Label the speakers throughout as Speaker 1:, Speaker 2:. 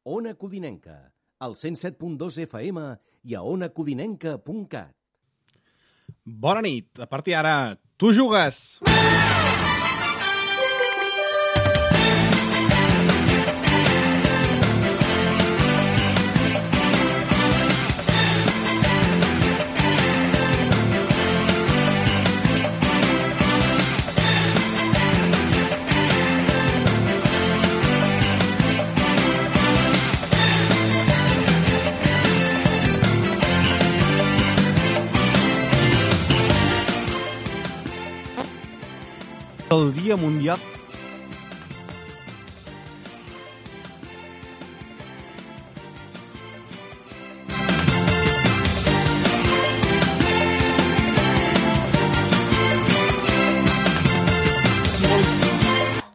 Speaker 1: Ona Codinenca, al 107.2 FM i a onacodinenca.cat.
Speaker 2: Bona nit. A partir d'ara, tu jugues! El Dia Mundial...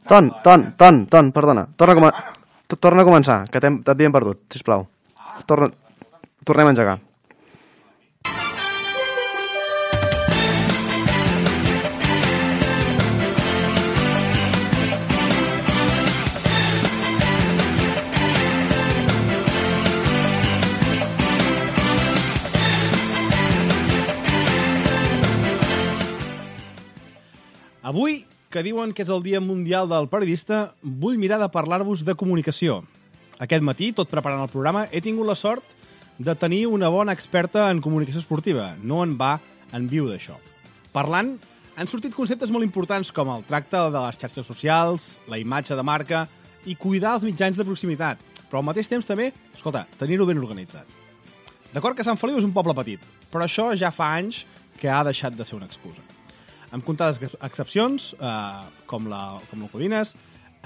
Speaker 3: Ton, perdona. Torna a començar, que t'havíem perdut, sisplau. Tornem a engegar.
Speaker 2: Avui, que diuen que és el Dia Mundial del Periodista, vull mirar de parlar-vos de comunicació. Aquest matí, tot preparant el programa, he tingut la sort de tenir una bona experta en comunicació esportiva. No en va en viu d'això. Parlant, han sortit conceptes molt importants com el tracte de les xarxes socials, la imatge de marca i cuidar els mitjans de proximitat. Però al mateix temps també, escolta, tenir-ho ben organitzat. D'acord que Sant Feliu és un poble petit, però això ja fa anys que ha deixat de ser una excusa. Amb comptades excepcions, com la Codines,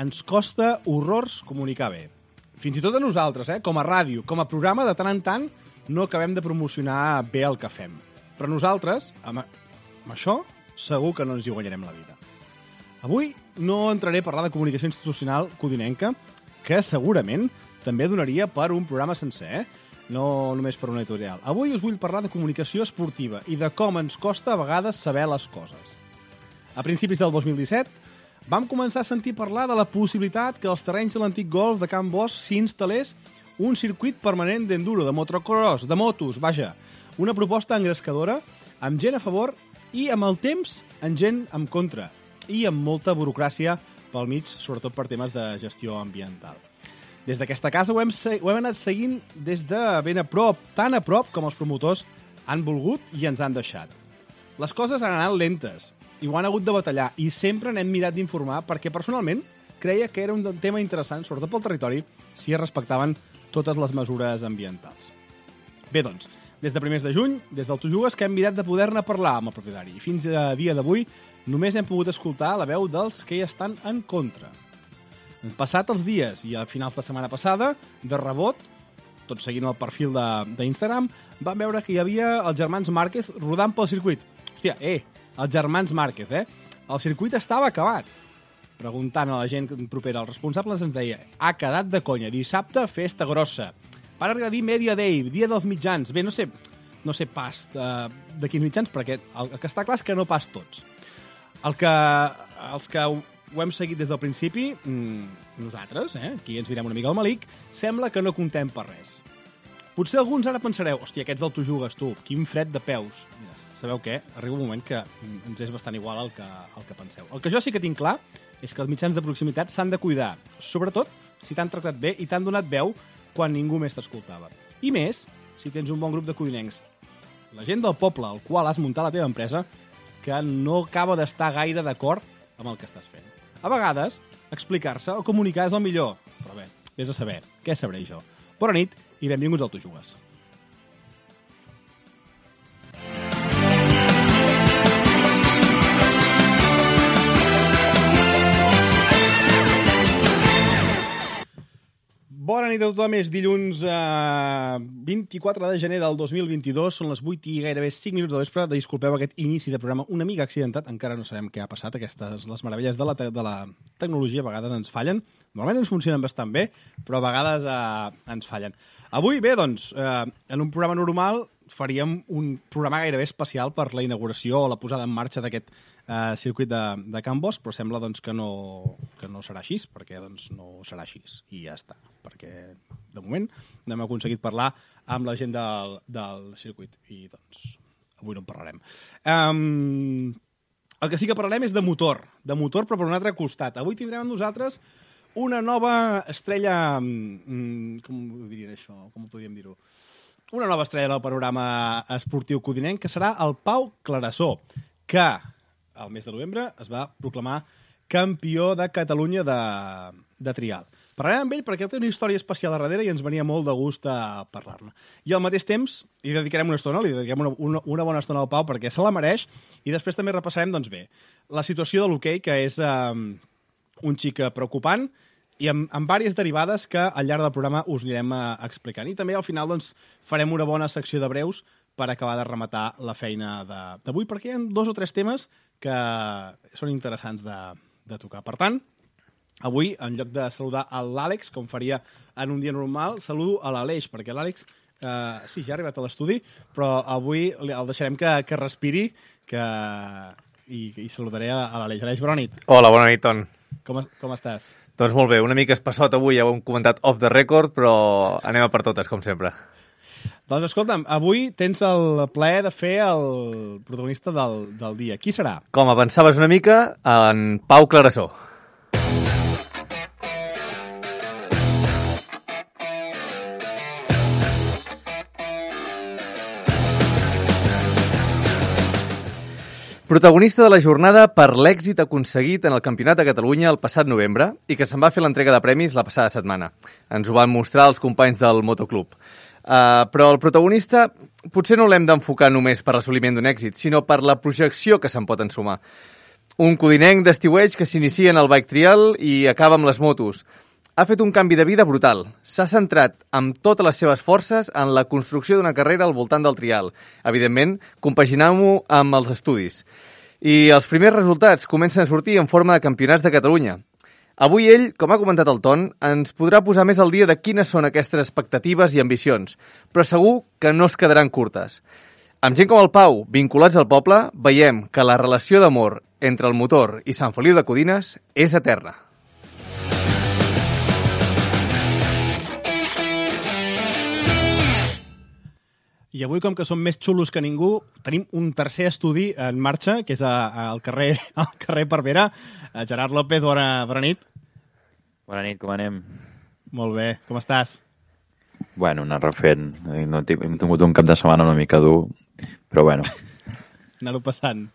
Speaker 2: ens costa horrors comunicar bé. Fins i tot a nosaltres, com a ràdio, com a programa, de tant en tant, no acabem de promocionar bé el que fem. Però nosaltres, amb això, segur que no ens hi guanyarem la vida. Avui no entraré a parlar de comunicació institucional codinenca, que segurament també donaria per un programa sencer, no només per una editorial. Avui us vull parlar de comunicació esportiva i de com ens costa a vegades saber les coses. A principis del 2017 vam començar a sentir parlar de la possibilitat que als terrenys de l'antic golf de Can Bosch s'instal·lés un circuit permanent d'enduro, de motocross, de motos, vaja, una proposta engrescadora, amb gent a favor i amb el temps amb gent en contra i amb molta burocràcia pel mig, sobretot per temes de gestió ambiental. Des d'aquesta casa ho hem anat seguint des de ben a prop, tan a prop com els promotors han volgut i ens han deixat. Les coses han anat lentes i ho han hagut de batallar i sempre n'hem mirat d'informar perquè personalment creia que era un tema interessant, sobretot pel territori, si es respectaven totes les mesures ambientals. Bé, doncs, des de primers de juny, des del Tu Jugues, que hem mirat de poder-ne parlar amb el propietari i fins a dia d'avui només hem pogut escoltar la veu dels que hi estan en contra. Passat els dies i a finals de setmana passada, de rebot, tot seguint el perfil d'Instagram, vam veure que hi havia els germans Márquez rodant pel circuit. Hòstia, els germans Márquez, El circuit estava acabat. Preguntant a la gent propera, els responsables ens deia: ha quedat de conya, dissabte, festa grossa. Van arribar a dir Media Day, dia dels mitjans. Bé, no sé pas de quins mitjans, perquè el que està clar és que no pas tots. Els que ho hem seguit des del principi, nosaltres, aquí ens mirem una mica al malic, sembla que no contem per res. Potser alguns ara pensareu: hòstia, aquests del Tu Jugues, tu, quin fred de peus. Mira, sabeu què? Arriba un moment que ens és bastant igual el que penseu. El que jo sí que tinc clar és que els mitjans de proximitat s'han de cuidar, sobretot si t'han tractat bé i t'han donat veu quan ningú més t'escoltava. I més, si tens un bon grup de codinencs, la gent del poble al qual has muntat la teva empresa, que no acaba d'estar gaire d'acord amb el que estàs fent. A vegades, explicar-se o comunicar és el millor. Però bé, vés a saber. Què sabré jo? Bona nit i benvinguts al Tu Jugues. Bona nit a tothom, és dilluns 24 de gener del 2022, són les 8 i gairebé 5 minuts de vespre. Disculpeu aquest inici de programa una mica accidentat, encara no sabem què ha passat, les meravelles de la tecnologia a vegades ens fallen. Normalment ens funcionen bastant bé, però a vegades ens fallen. Avui, bé, doncs, en un programa normal faríem un programa gairebé especial per la inauguració o la posada en marxa d'aquest circuit de Can Bosch, però sembla doncs, que no serà així, perquè doncs, no serà així, i ja està. Perquè, de moment, no hem aconseguit parlar amb la gent del circuit, i doncs avui no en parlarem. El que sí que parlarem és de motor, però per un altre costat. Avui tindrem amb nosaltres una nova estrella... com ho dirien això? Com ho podríem dir-ho? Una nova estrella del panorama esportiu codinenc, que serà el Pau Clarasó, que al mes de novembre es va proclamar campió de Catalunya de trial. Parlarem amb ell perquè té una història especial a darrere i ens venia molt de gust a parlar-ne. I al mateix temps li dedicarem una estona, li dedicarem una bona estona al Pau perquè se la mereix, i després també repassarem, doncs bé, la situació de l'hoquei, que és un xic preocupant, i amb diverses derivades que al llarg del programa us anirem explicant. I també al final doncs, farem una bona secció de breus per acabar de rematar la feina d'avui, perquè hi ha 2 o 3 temes que són interessants de tocar. Per tant, avui, en lloc de saludar a l'Àlex, com faria en un dia normal, saludo a l'Aleix, perquè l'Àlex, sí, ja ha arribat a l'estudi, però avui el deixarem que respiri i saludaré a l'Aleix. Aleix, bona nit.
Speaker 4: Hola, bona nit, Ton.
Speaker 2: Com estàs?
Speaker 4: Doncs molt bé, una mica espassot avui, ja ho hem comentat off the record, però anem a per totes, com sempre.
Speaker 2: Doncs escolta'm, avui tens el plaer de fer el protagonista del dia. Qui serà?
Speaker 4: Com avançaves una mica, en Pau Clarasó. Protagonista de la jornada per l'èxit aconseguit en el Campionat de Catalunya el passat novembre i que se'n va fer l'entrega de premis la passada setmana. Ens ho van mostrar els companys del Motoclub. Però el protagonista potser no l'hem d'enfocar només per l'assoliment d'un èxit, sinó per la projecció que se'n pot ensumar. Un codinenc d'estiueig que s'inicia en el bike trial i acaba amb les motos. Ha fet un canvi de vida brutal. S'ha centrat amb totes les seves forces en la construcció d'una carrera al voltant del trial. Evidentment, compaginant-ho amb els estudis. I els primers resultats comencen a sortir en forma de campionats de Catalunya. Avui ell, com ha comentat el Ton, ens podrà posar més al dia de quines són aquestes expectatives i ambicions, però segur que no es quedaran curtes. Amb gent com el Pau, vinculats al poble, veiem que la relació d'amor entre el motor i Sant Feliu de Codines és eterna.
Speaker 2: I avui, com que som més xulos que ningú, tenim un tercer estudi en marxa, que és al carrer Parvera. Gerard López, bona nit.
Speaker 5: Bona nit, com anem?
Speaker 2: Molt bé, com estàs?
Speaker 5: Bueno, anar refent. Hem tingut un cap de setmana una mica dur, però bueno.
Speaker 2: Anar-ho passant.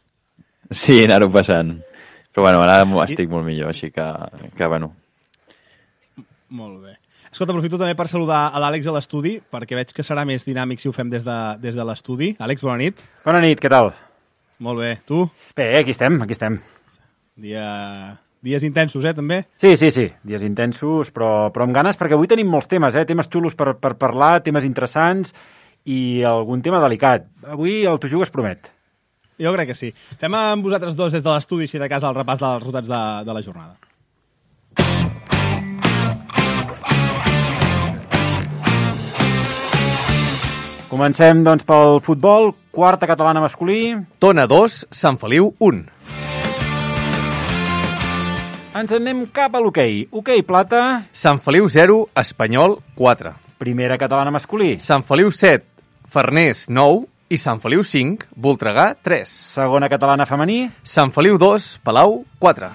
Speaker 5: Sí, anar-ho passant. Però bueno, ara estic molt millor, així que bueno.
Speaker 2: Molt bé. Escolta, aprofito també per saludar a l'Àlex a l'estudi, perquè veig que serà més dinàmic si ho fem des de l'estudi. Àlex, bona nit.
Speaker 6: Bona nit, què tal?
Speaker 2: Molt bé. Tu?
Speaker 6: Bé, aquí estem.
Speaker 2: Dies intensos, també?
Speaker 6: Sí, dies intensos, però amb ganes, perquè avui tenim molts temes, temes xulos per parlar, temes interessants i algun tema delicat. Avui el Tu Jugues promet.
Speaker 2: Jo crec que sí. Fem amb vosaltres dos des de l'estudi, si de cas, el repàs dels resultats de la jornada.
Speaker 6: Comencem, doncs, pel futbol. Quarta catalana masculí.
Speaker 4: Tona 2, Sant Feliu 1.
Speaker 6: Ens anem cap a l'hoquei. Hoquei plata.
Speaker 4: Sant Feliu 0, Espanyol 4.
Speaker 6: Primera catalana masculí.
Speaker 4: Sant Feliu 7, Farners 9 i Sant Feliu 5, Voltregà 3.
Speaker 6: Segona catalana femení.
Speaker 4: Sant Feliu 2, Palau 4.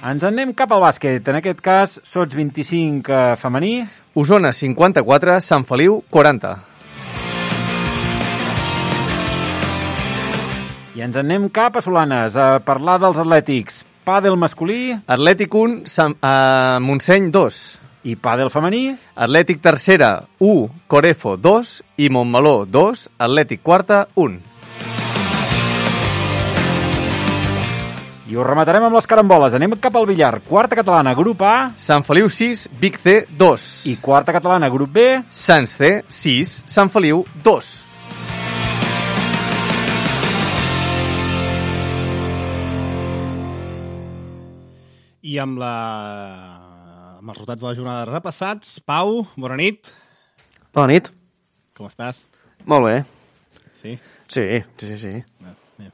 Speaker 6: Ens anem cap al bàsquet. En aquest cas, Sots 25 femení.
Speaker 4: Osona 54, Sant Feliu 40.
Speaker 6: I ens anem cap a Solanes a parlar dels atlètics. Pàdel masculí.
Speaker 4: Atlètic 1, Montseny 2.
Speaker 6: I pàdel femení.
Speaker 4: Atlètic tercera 1, Corefo 2 i Montmeló 2, Atlètic quarta 1.
Speaker 6: I ho rematarem amb les caramboles. Anem cap al billar. Quarta catalana, grup A.
Speaker 4: Sant Feliu 6, Vic C 2.
Speaker 6: I quarta catalana, grup B.
Speaker 4: Sants C 6, Sant Feliu 2.
Speaker 2: I amb els resultats de la jornada repassats, Pau, bona nit.
Speaker 3: Bona nit.
Speaker 2: Com estàs?
Speaker 3: Molt bé.
Speaker 2: Sí?
Speaker 3: Sí.
Speaker 2: Anem.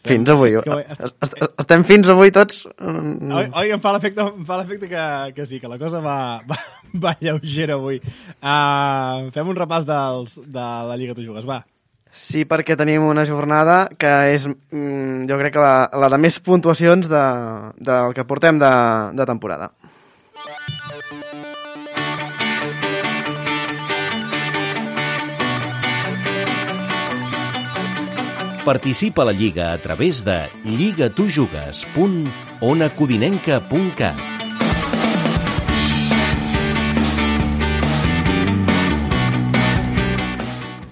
Speaker 3: Fins avui.
Speaker 2: És que
Speaker 3: Estem fins avui tots.
Speaker 2: Oi, em fa l'efecte que sí, que la cosa va lleugera avui. Fem un repàs de la Lliga Tu Jugues, va.
Speaker 3: Sí, perquè tenim una jornada que és, jo crec que la de més puntuacions del que portem de temporada.
Speaker 1: Participa a la Lliga a través de lligatujugues.onacodinenca.cat.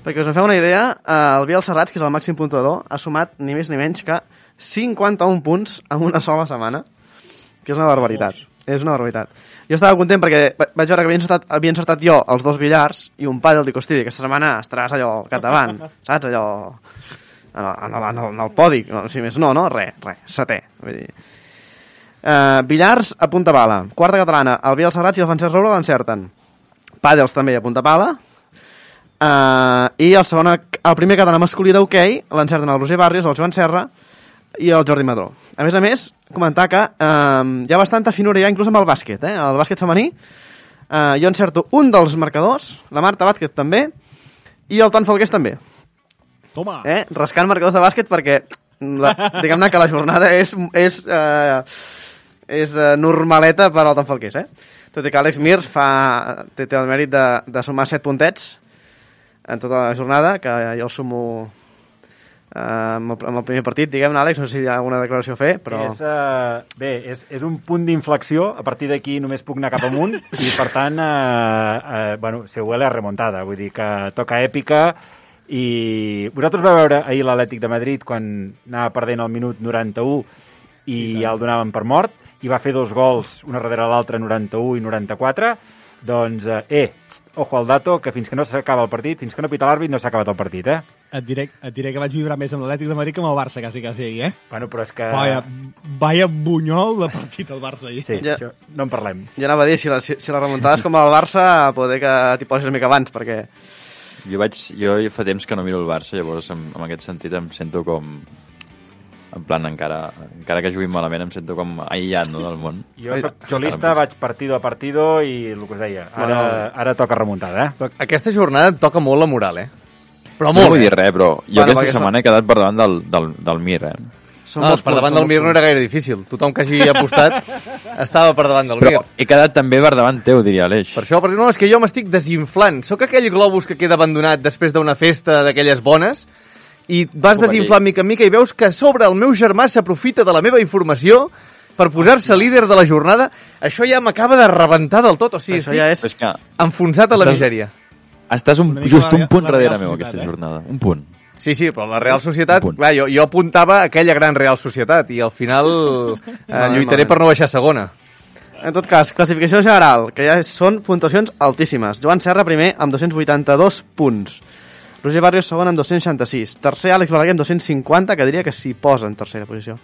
Speaker 3: Perquè us en feu una idea, el Biel Serrats, que és el màxim puntuador, ha sumat ni més ni menys que 51 punts en una sola setmana, que és una barbaritat. És una barbaritat. Jo estava content perquè vaig veure que havia encertat jo els 2 billars i un pàdel d'Icostidi. Aquesta setmana estaràs allò al capdavant, saps? Allò en el podi, si més no, res, setè. Vull dir. Billars a punta pala. Quarta catalana, el Biel Serrats i el Francesc Roura l'encerten. Pàdels també a punta pala. I el primer català masculí d'hoquei l'encerten el Roger Barrios, el Joan Serra i el Jordi Madró. A més, comentar que hi ha bastanta finura ja inclús amb el bàsquet, el bàsquet femení. Jo encerto un dels marcadors, la Marta Vázquez també, i el Ton Falqués també.
Speaker 2: Toma!
Speaker 3: Rascant marcadors de bàsquet perquè diguem-ne que la jornada és normaleta per al Ton Falqués, Tot i que Àlex Mir té el mèrit de sumar 7 puntets en tota la jornada, que jo el sumo amb el primer partit, diguem-ne, Àlex, no sé si hi ha alguna declaració a fer, però...
Speaker 6: És un punt d'inflexió, a partir d'aquí només puc anar cap amunt, i per tant, se huele a remontada, vull dir que toca èpica, i vosaltres vau veure ahir l'Atlètic de Madrid quan anava perdent al minut 91 i ja el donaven per mort, i va fer 2 gols, una darrere l'altra, 91 i 94, doncs, ojo al dato, que fins que no s'acaba el partit, fins que no pita l'àrbit, no s'ha acabat el partit,
Speaker 2: Et diré que vaig vibrar més amb l'Atlètic de Madrid que amb el Barça, quasi, ahir,
Speaker 6: Bueno, però és que...
Speaker 2: Vaya bunyol de partit el Barça ahir.
Speaker 6: Sí, això no en parlem.
Speaker 3: Jo anava a dir, si la remuntada és com el Barça, poder que t'hi posis una mica abans, perquè...
Speaker 5: Jo fa temps que no miro el Barça, llavors en aquest sentit em sento com... En plan, encara que juguin malament, em sento com aïllat, no, del món.
Speaker 6: Jo soc xolista, vaig partido a partido i el que us deia, ara toca remuntada,
Speaker 4: Aquesta jornada toca molt la moral, Però
Speaker 5: no
Speaker 4: molt,
Speaker 5: vull dir res, però jo aquesta setmana he quedat per davant del Mir,
Speaker 4: per davant del Mir no era gaire difícil. Tothom que hagi apostat estava per davant del Mir.
Speaker 5: Però he quedat també per davant teu, diria Aleix.
Speaker 4: Per això, perquè no, és que jo m'estic desinflant. Sóc aquell globus que queda abandonat després d'una festa d'aquelles bones i vas desinflant mica en mica i veus que a sobre el meu germà s'aprofita de la meva informació per posar-se líder de la jornada. Això ja m'acaba de rebentar del tot. O sigui, estic enfonsat a la misèria.
Speaker 5: Estàs just un punt darrere meu, aquesta jornada. Un punt.
Speaker 4: Sí, però la Real Societat... Clar, jo apuntava aquella gran Real Societat i al final lluitaré per no baixar segona.
Speaker 3: En tot cas, classificació general, que ja són puntuacions altíssimes. Joan Serra primer amb 282 punts. Roger Barrios segon amb 266. Tercer, Àlex Balaguer amb 250, que diria que s'hi posa en tercera posició.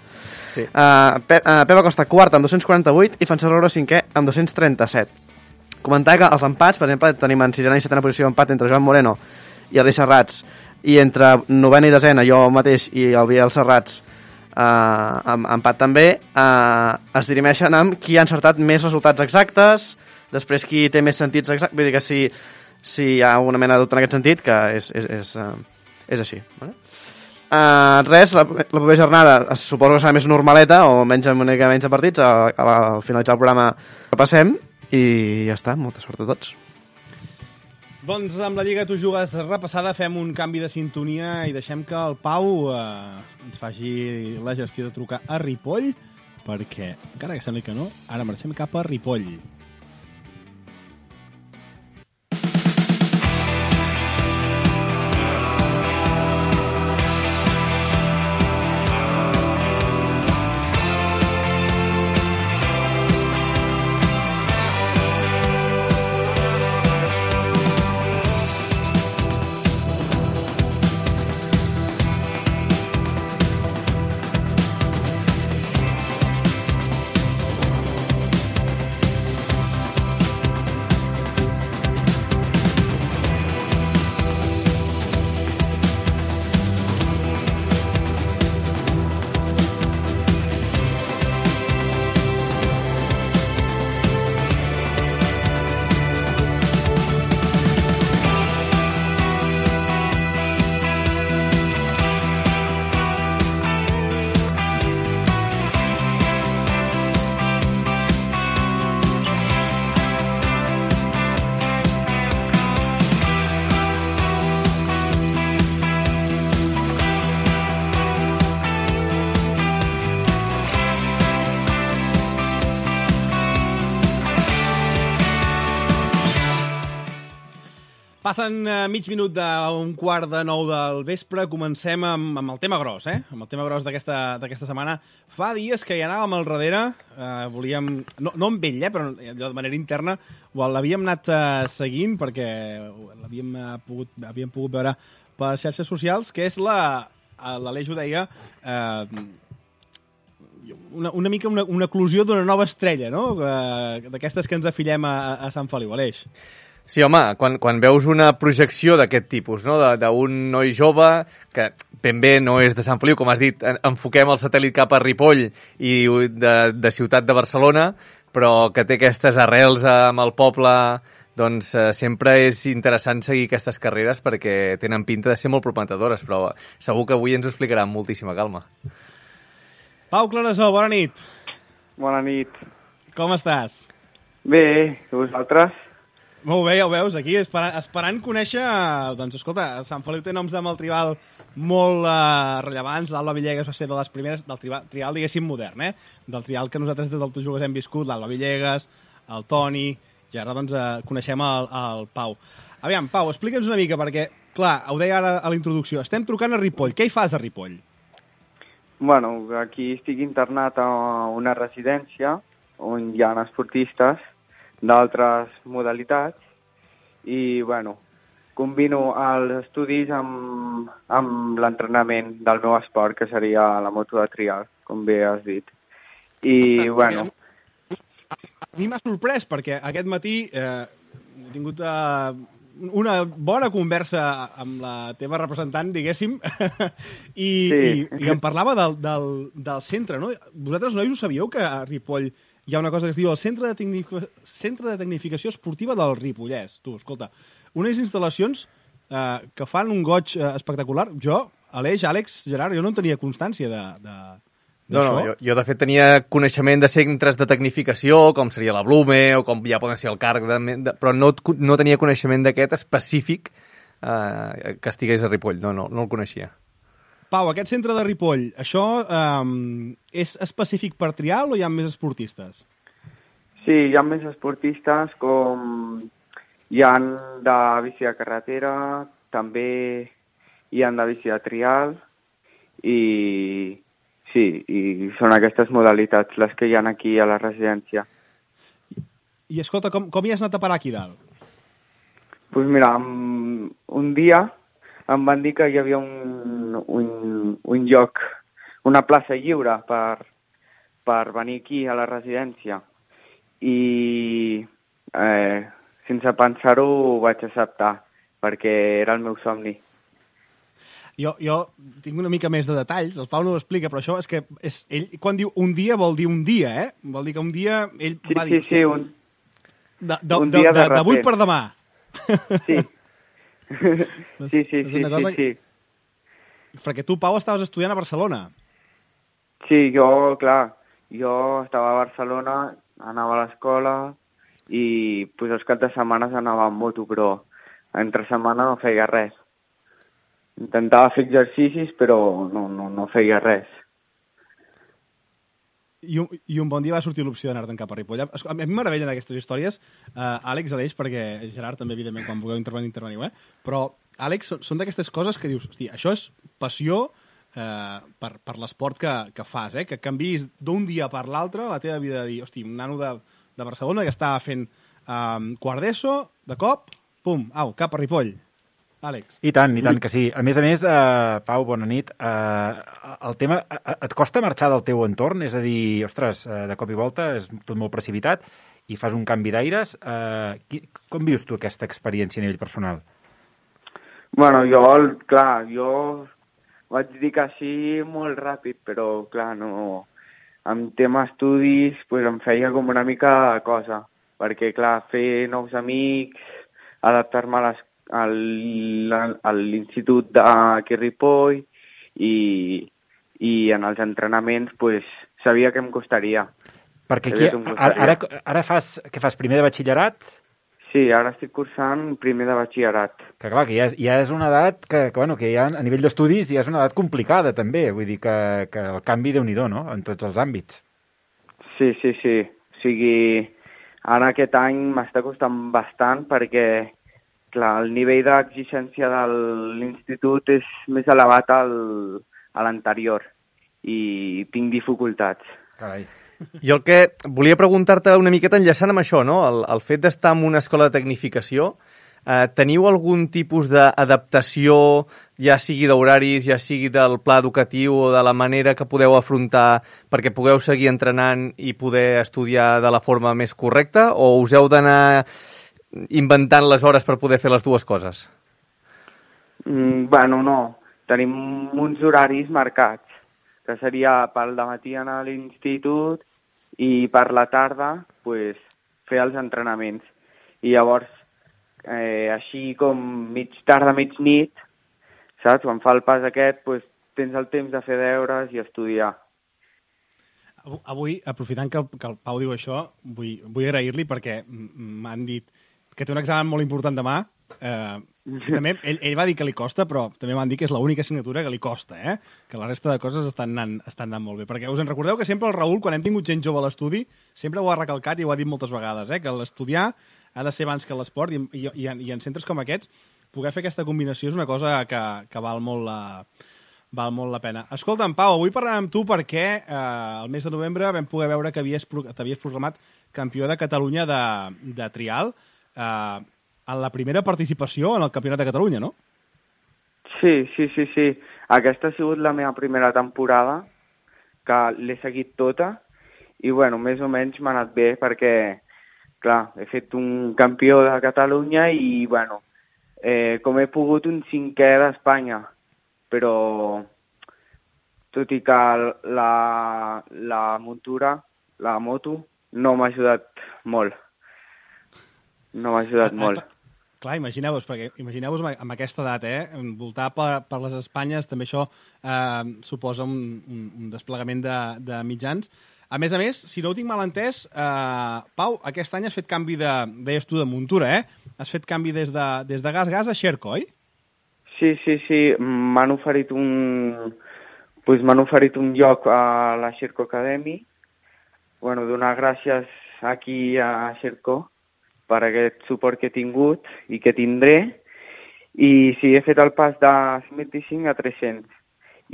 Speaker 4: Sí.
Speaker 3: Pepa Costa quart amb 248 i Francesc Roura cinquè amb 237. Comentar que els empats, per exemple, tenim en sisena i setena posició empat entre Joan Moreno i Aleix Serrats, i entre novena i desena, jo mateix i el Biel Serrats, empat també, es dirimeixen amb qui ha encertat més resultats exactes, després qui té més sentits exactes, vull dir que si hi ha una mena de dubte en aquest sentit, que és així. Vale? Res, la propera jornada suposo que serà més normaleta o menys una mica menys de partits. Al finalitzar el programa repassem i ja està, molta sort a tots.
Speaker 2: Doncs amb la Lliga Tu Jugues repassada fem un canvi de sintonia i deixem que el Pau ens faci la gestió de trucar a Ripoll, perquè, encara que sembli que no, ara marxem cap a Ripoll. Passen mig minut d'un quart de 9 del vespre. Comencem amb el tema gros, Amb el tema gros d'aquesta setmana. Fa dies que hi anàvem al darrere, volíem... No amb ell, però de manera interna l'havíem anat seguint perquè l'havíem pogut veure per les xarxes socials, que és l'Aleix ho deia, una mica una eclosió d'una nova estrella, no? D'aquestes que ens afillem a Sant Feliu, Aleix.
Speaker 4: Sí, home, quan veus una projecció d'aquest tipus, no? D'un noi jove que ben bé no és de Sant Feliu, com has dit, enfoquem el satèl·lit cap a Ripoll i de ciutat de Barcelona, però que té aquestes arrels amb el poble, doncs sempre és interessant seguir aquestes carreres perquè tenen pinta de ser molt prometedores, però segur que avui ens ho explicarà amb moltíssima calma.
Speaker 2: Pau Clarasó, bona nit.
Speaker 7: Bona nit.
Speaker 2: Com estàs?
Speaker 7: Bé, i vosaltres?
Speaker 2: Molt bé, ja ho veus, aquí esperant conèixer... Doncs escolta, Sant Feliu té noms de Maltribal molt rellevants. L'Alba Villegas va ser de les primeres del trial, diguéssim, modern, del trial que nosaltres des del Tojugues hem viscut, l'Alba Villegas, el Toni, i ara doncs coneixem el Pau. Aviam, Pau, explica'ns una mica, perquè, clar, ho deia ara a la introducció, estem trucant a Ripoll. Què hi fas a Ripoll?
Speaker 7: Bueno, aquí estic internat a una residència on hi ha esportistes d'altres modalitats i, bueno, combino els estudis amb l'entrenament del meu esport, que seria la moto de trial, com bé has dit. I, bueno...
Speaker 2: A mi m'ha sorprès, perquè aquest matí he tingut una bona conversa amb la teva representant, diguéssim, i em parlava del centre, no? Vosaltres, nois, ho sabíeu que a Ripoll hi ha una cosa que es diu el Centre de Tecnificació Esportiva del Ripollès. Tu, escolta, unes instal·lacions que fan un goig espectacular. Jo, Aleix, Àlex, Gerard, jo no en tenia constància d'això.
Speaker 4: No, jo de fet tenia coneixement de centres de tecnificació, com seria la Blume, o com ja poden ser el CARC, però no tenia coneixement d'aquest específic que estigués a Ripoll. No el coneixia.
Speaker 2: Pau, aquest centre de Ripoll, això és específic per trial o hi ha més esportistes?
Speaker 7: Sí, hi ha més esportistes, com hi ha de bici de carretera, també hi ha de bici de trial, i sí, i són aquestes modalitats les que hi ha aquí a la residència.
Speaker 2: I escolta, com hi has anat a parar aquí dalt?
Speaker 7: Doncs mira, un dia em van dir que hi havia un lloc, una plaça lliure per venir aquí a la residència i sense pensar-ho ho vaig acceptar perquè era el meu somni.
Speaker 2: Jo tinc una mica més de detalls, el Pau no ho explica, però això és que ell quan diu un dia vol dir un dia, Vol dir que un dia ell va dir...
Speaker 7: Sí,
Speaker 2: un dia d'avui per demà.
Speaker 7: Sí. Sí.
Speaker 2: Perquè tu, Pau, estaves estudiant a Barcelona.
Speaker 7: Sí, jo estava a Barcelona, anava a l'escola i els caps de setmana anava amb moto, però entre setmana no feia res. Intentava fer exercicis, però no feia res.
Speaker 2: I un bon dia va sortir l'opció d'anar-te'n cap a Ripoll. A mi m'aravellen aquestes històries, Àlex, Aleix, perquè Gerard també, evidentment, quan vulgueu interveniu, Però, Àlex, són d'aquestes coses que dius, hosti, això és passió per l'esport que fas, que canviïs d'un dia per l'altre la teva vida de dir, hosti, un nano de Barcelona que estava fent quart d'ESO, de cop, pum, cap a Ripoll. Àlex.
Speaker 6: I tant que sí. A més, Pau, bona nit. El tema, et costa marxar del teu entorn? És a dir, ostres, de cop i volta és tot molt precipitat i fas un canvi d'aires. Com vius tu aquesta experiència a nivell personal?
Speaker 7: Bueno, jo vaig dir que sí molt ràpid, però clar, no... En tema estudis, em feia com una mica cosa, perquè clar, fer nous amics, adaptar-me a l'institut d'aquí a Ripoll i en els entrenaments sabia que em costaria.
Speaker 6: Perquè aquí, ara fas primer de batxillerat?
Speaker 7: Sí, ara estic cursant primer de batxillerat.
Speaker 6: Que clar, que ja és una edat que ja a nivell d'estudis ja és una edat complicada també, vull dir que el canvi déu-n'hi-do, no?, en tots els àmbits.
Speaker 7: Sí. O sigui, ara aquest any m'està costant bastant perquè clar, el nivell d'exigència de l'institut és més elevat a l'anterior i tinc dificultats.
Speaker 6: Carai.
Speaker 4: Jo el que volia preguntar-te una miqueta enllaçant amb això, no? El fet d'estar en una escola de tecnificació, teniu algun tipus d'adaptació, ja sigui d'horaris, ja sigui del pla educatiu o de la manera que podeu afrontar perquè pugueu seguir entrenant i poder estudiar de la forma més correcta, o us heu d'anar inventant les hores per poder fer les dues coses?
Speaker 7: Bueno, no. Tenim uns horaris marcats, que seria pel dematí anar a l'institut i per la tarda pues, fer els entrenaments. I llavors, així com mig tarda, mig nit, saps? Quan fa el pas aquest, pues, tens el temps de fer deures i estudiar.
Speaker 2: Avui, aprofitant que el Pau diu això, vull agrair-li perquè m'han dit que té un examen molt important demà. També, ell va dir que li costa, però també m'han dit que és l'única assignatura que li costa, que la resta de coses estan anant molt bé. Perquè us en recordeu que sempre el Raül, quan hem tingut gent jove a l'estudi, sempre ho ha recalcat i ho ha dit moltes vegades, que l'estudiar ha de ser abans que l'esport i en centres com aquests poder fer aquesta combinació és una cosa que val molt la pena. Escolta'm, Pau, avui parlarem amb tu perquè el mes de novembre vam poder veure que t'havies proclamat campió de Catalunya de trial en la primera participació en el Campionat de Catalunya, no?
Speaker 7: Sí. Aquesta ha sigut la meva primera temporada, que l'he seguit tota, i bueno, més o menys m'ha anat bé perquè, clar, he fet un campió de Catalunya i, bueno, com he pogut un 5è d'Espanya, però tot i que la muntura, la moto, no m'ha ajudat molt. No m'ha ajudat molt.
Speaker 2: Clar, imagineu-vos amb aquesta edat, envoltar per les Espanyes, també això suposa un desplegament de mitjans. A més, si no ho tinc mal entès, Pau, aquest any has fet canvi deies tu, de muntura, Has fet canvi des de Gas a Xerco, oi?
Speaker 7: Sí. M'han oferit un lloc a la Xerco Academy. Bueno, donar gràcies aquí a Xerco per aquest suport que he tingut i que tindré. I sí, he fet el pas de 125 a 300.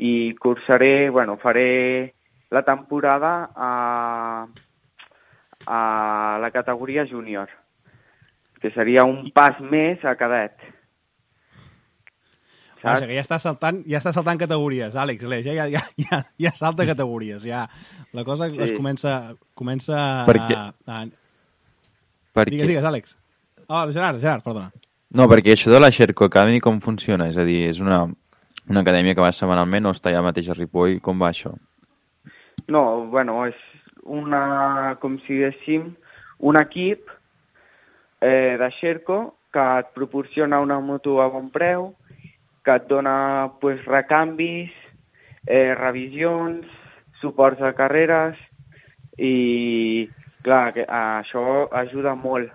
Speaker 7: I cursaré, faré la temporada a la categoria júnior, que seria un pas més a cadet.
Speaker 2: Vaja, que ja està saltant categories, Àlex, ja salta categories, ja la cosa sí. Es comença Digues, Àlex. Gerard, perdona.
Speaker 5: No, perquè això de la Xerco Academy com funciona? És a dir, és una acadèmia que va setmanalment o està allà mateix a Ripoll? Com va això?
Speaker 7: No, és com si diguéssim, un equip de Xerco que et proporciona una moto a bon preu, que et dona recanvis, revisions, suports de carreres i, clar, això ajuda molt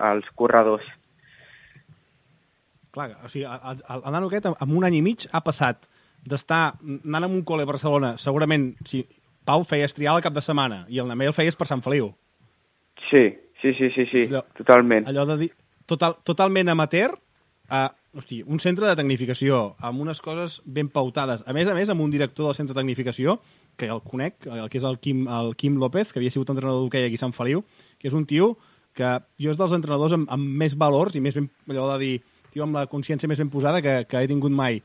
Speaker 7: als corredors.
Speaker 2: Clar, o sigui, el nano aquest en un any i mig ha passat d'estar anant a un col·le a Barcelona, segurament, si Pau feies trial al cap de setmana i el Namé el feies per Sant Feliu.
Speaker 7: Sí, totalment.
Speaker 2: Allò de dir, totalment amateur, un centre de tecnificació, amb unes coses ben pautades. A més, amb un director del centre de tecnificació, que el conec, que és el Quim López, que havia sigut entrenador d'hoquei aquí a Sant Feliu, que és un tio que jo és dels entrenadors amb més valors i més ben, allò de dir, tio amb la consciència més ben posada que he tingut mai.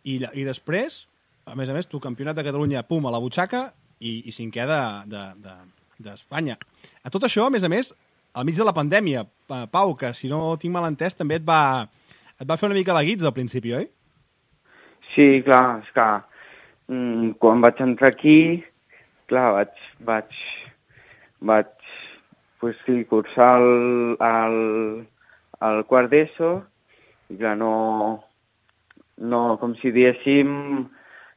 Speaker 2: I després, a més, tu campionat de Catalunya, pum, a la butxaca i 5è d'Espanya. A tot això, a més, al mig de la pandèmia, Pau, que si no tinc mal entès, també et va fer una mica la guitza al principi, oi?
Speaker 7: Sí, clar, és que quan vaig entrar aquí, clar, vaig cursar el quart d'ESO i clar, no, com si diguéssim,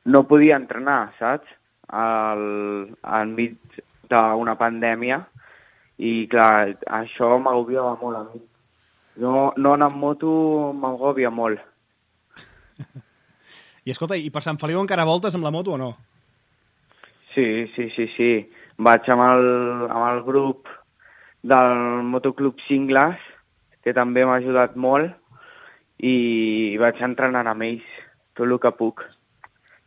Speaker 7: no podia entrenar, saps? Enmig d'una pandèmia i clar, això m'agobiava molt a mi. No anar amb moto m'agobia molt.
Speaker 2: I escolta, i per Sant Feliu encara voltes amb la moto o no?
Speaker 7: Sí. Vaig amb el grup del Motoclub Cingles que també m'ha ajudat molt, i vaig entrenant amb ells tot el que puc.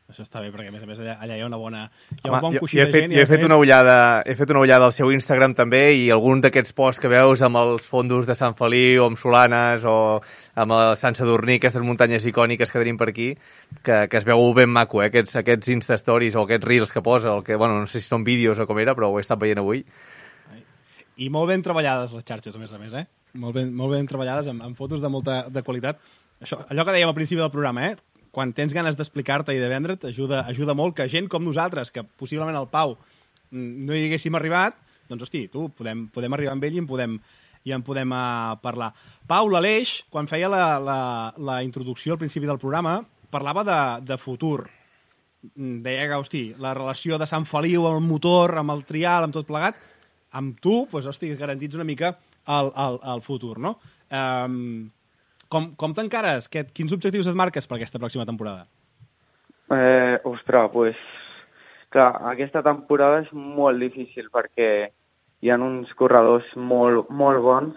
Speaker 2: Això està bé, perquè a més allà hi ha una bona... Hi ha
Speaker 4: Home,
Speaker 2: un bon
Speaker 4: jo
Speaker 2: coixí
Speaker 4: he
Speaker 2: de
Speaker 4: fet,
Speaker 2: gent.
Speaker 4: jo he fet una ullada al seu Instagram també, i algun d'aquests posts que veus amb els fondos de Sant Feliu, o amb Solanes, o amb el Sant Sadurní, aquestes muntanyes icòniques que tenim per aquí, que es veu ben maco, aquests Insta-stories o aquests Reels que posa, no sé si són vídeos o com era, però ho he estat veient avui.
Speaker 2: I molt ben treballades les xarxes, a més, Molt ben treballades, amb fotos de molta de qualitat. Allò que dèiem al principi del programa, quan tens ganes d'explicar-te i de vendre't, ajuda molt que gent com nosaltres, que possiblement al Pau no hi haguéssim arribat, doncs, hosti, podem arribar amb ell i en podem parlar. Pau, l'Aleix, quan feia la introducció al principi del programa, parlava de futur. Deia que, hosti, la relació de Sant Feliu amb el motor, amb el trial, amb tot plegat, amb tu, doncs, hosti, garantits una mica el futur, no? Com t'encares? Quins objectius et marques per aquesta pròxima temporada?
Speaker 7: Ostres, doncs, clar, aquesta temporada és molt difícil perquè hi ha uns corredors molt, molt bons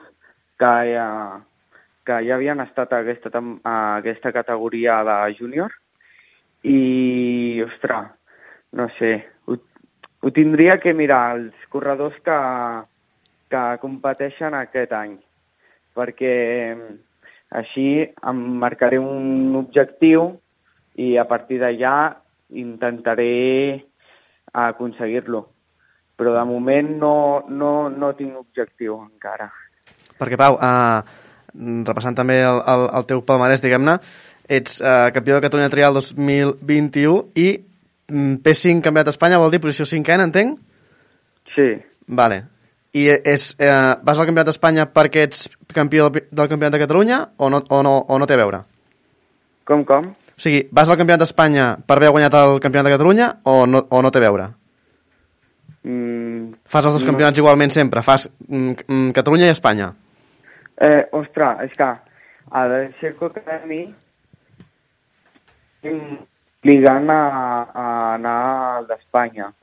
Speaker 7: que ja havien estat a aquesta categoria de júnior i, ostres, no sé, ho tindria que mirar els corredors que competeixen aquest any, perquè així em marcaré un objectiu i a partir d'allà intentaré aconseguir-lo. Però de moment no tinc objectiu encara.
Speaker 3: Perquè, Pau, repassant també el teu palmarès, diguem-ne, ets campió de Catalunya Trial 2021 i P5 campionat d'Espanya, vol dir posició 5ena, entenc?
Speaker 7: Sí.
Speaker 3: Vale. I vas al campionat d'Espanya perquè ets campió del campionat de Catalunya o no té a veure?
Speaker 7: Com?
Speaker 3: O sigui, vas al campionat d'Espanya per haver guanyat el campionat de Catalunya o no té a veure? Fas els dos campionats igualment sempre? Fas Catalunya i Espanya?
Speaker 7: Ostres, és que a la Circo Academy obligant a anar al d'Espanya,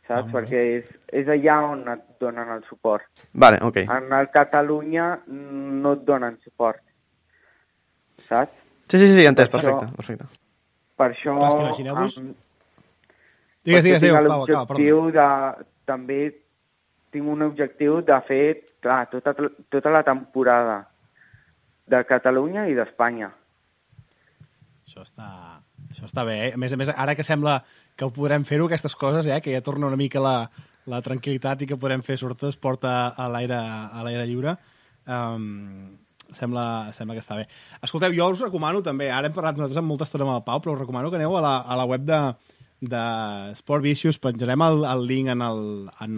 Speaker 7: saps? Perquè és allà on et donen el suport.
Speaker 3: Vale, ok.
Speaker 7: En el Catalunya no et donen suport, saps?
Speaker 3: Sí, entès, perfecte.
Speaker 7: Per això...
Speaker 2: Clar, és que imagineu-vos... Digues, Pau, acaba, perdó.
Speaker 7: També tinc un objectiu de fer, clar, tota la temporada de Catalunya i d'Espanya.
Speaker 2: Això està bé, A més, ara que sembla que ho podrem fer-ho, aquestes coses, que ja torna una mica la tranquil·litat i que podrem fer sobretot esport a l'aire lliure, sembla que està bé. Escolteu, jo us recomano també, ara hem parlat nosaltres amb molta estona amb el Pau, però us recomano que aneu a la web de Sport Vicious, penjarem el link en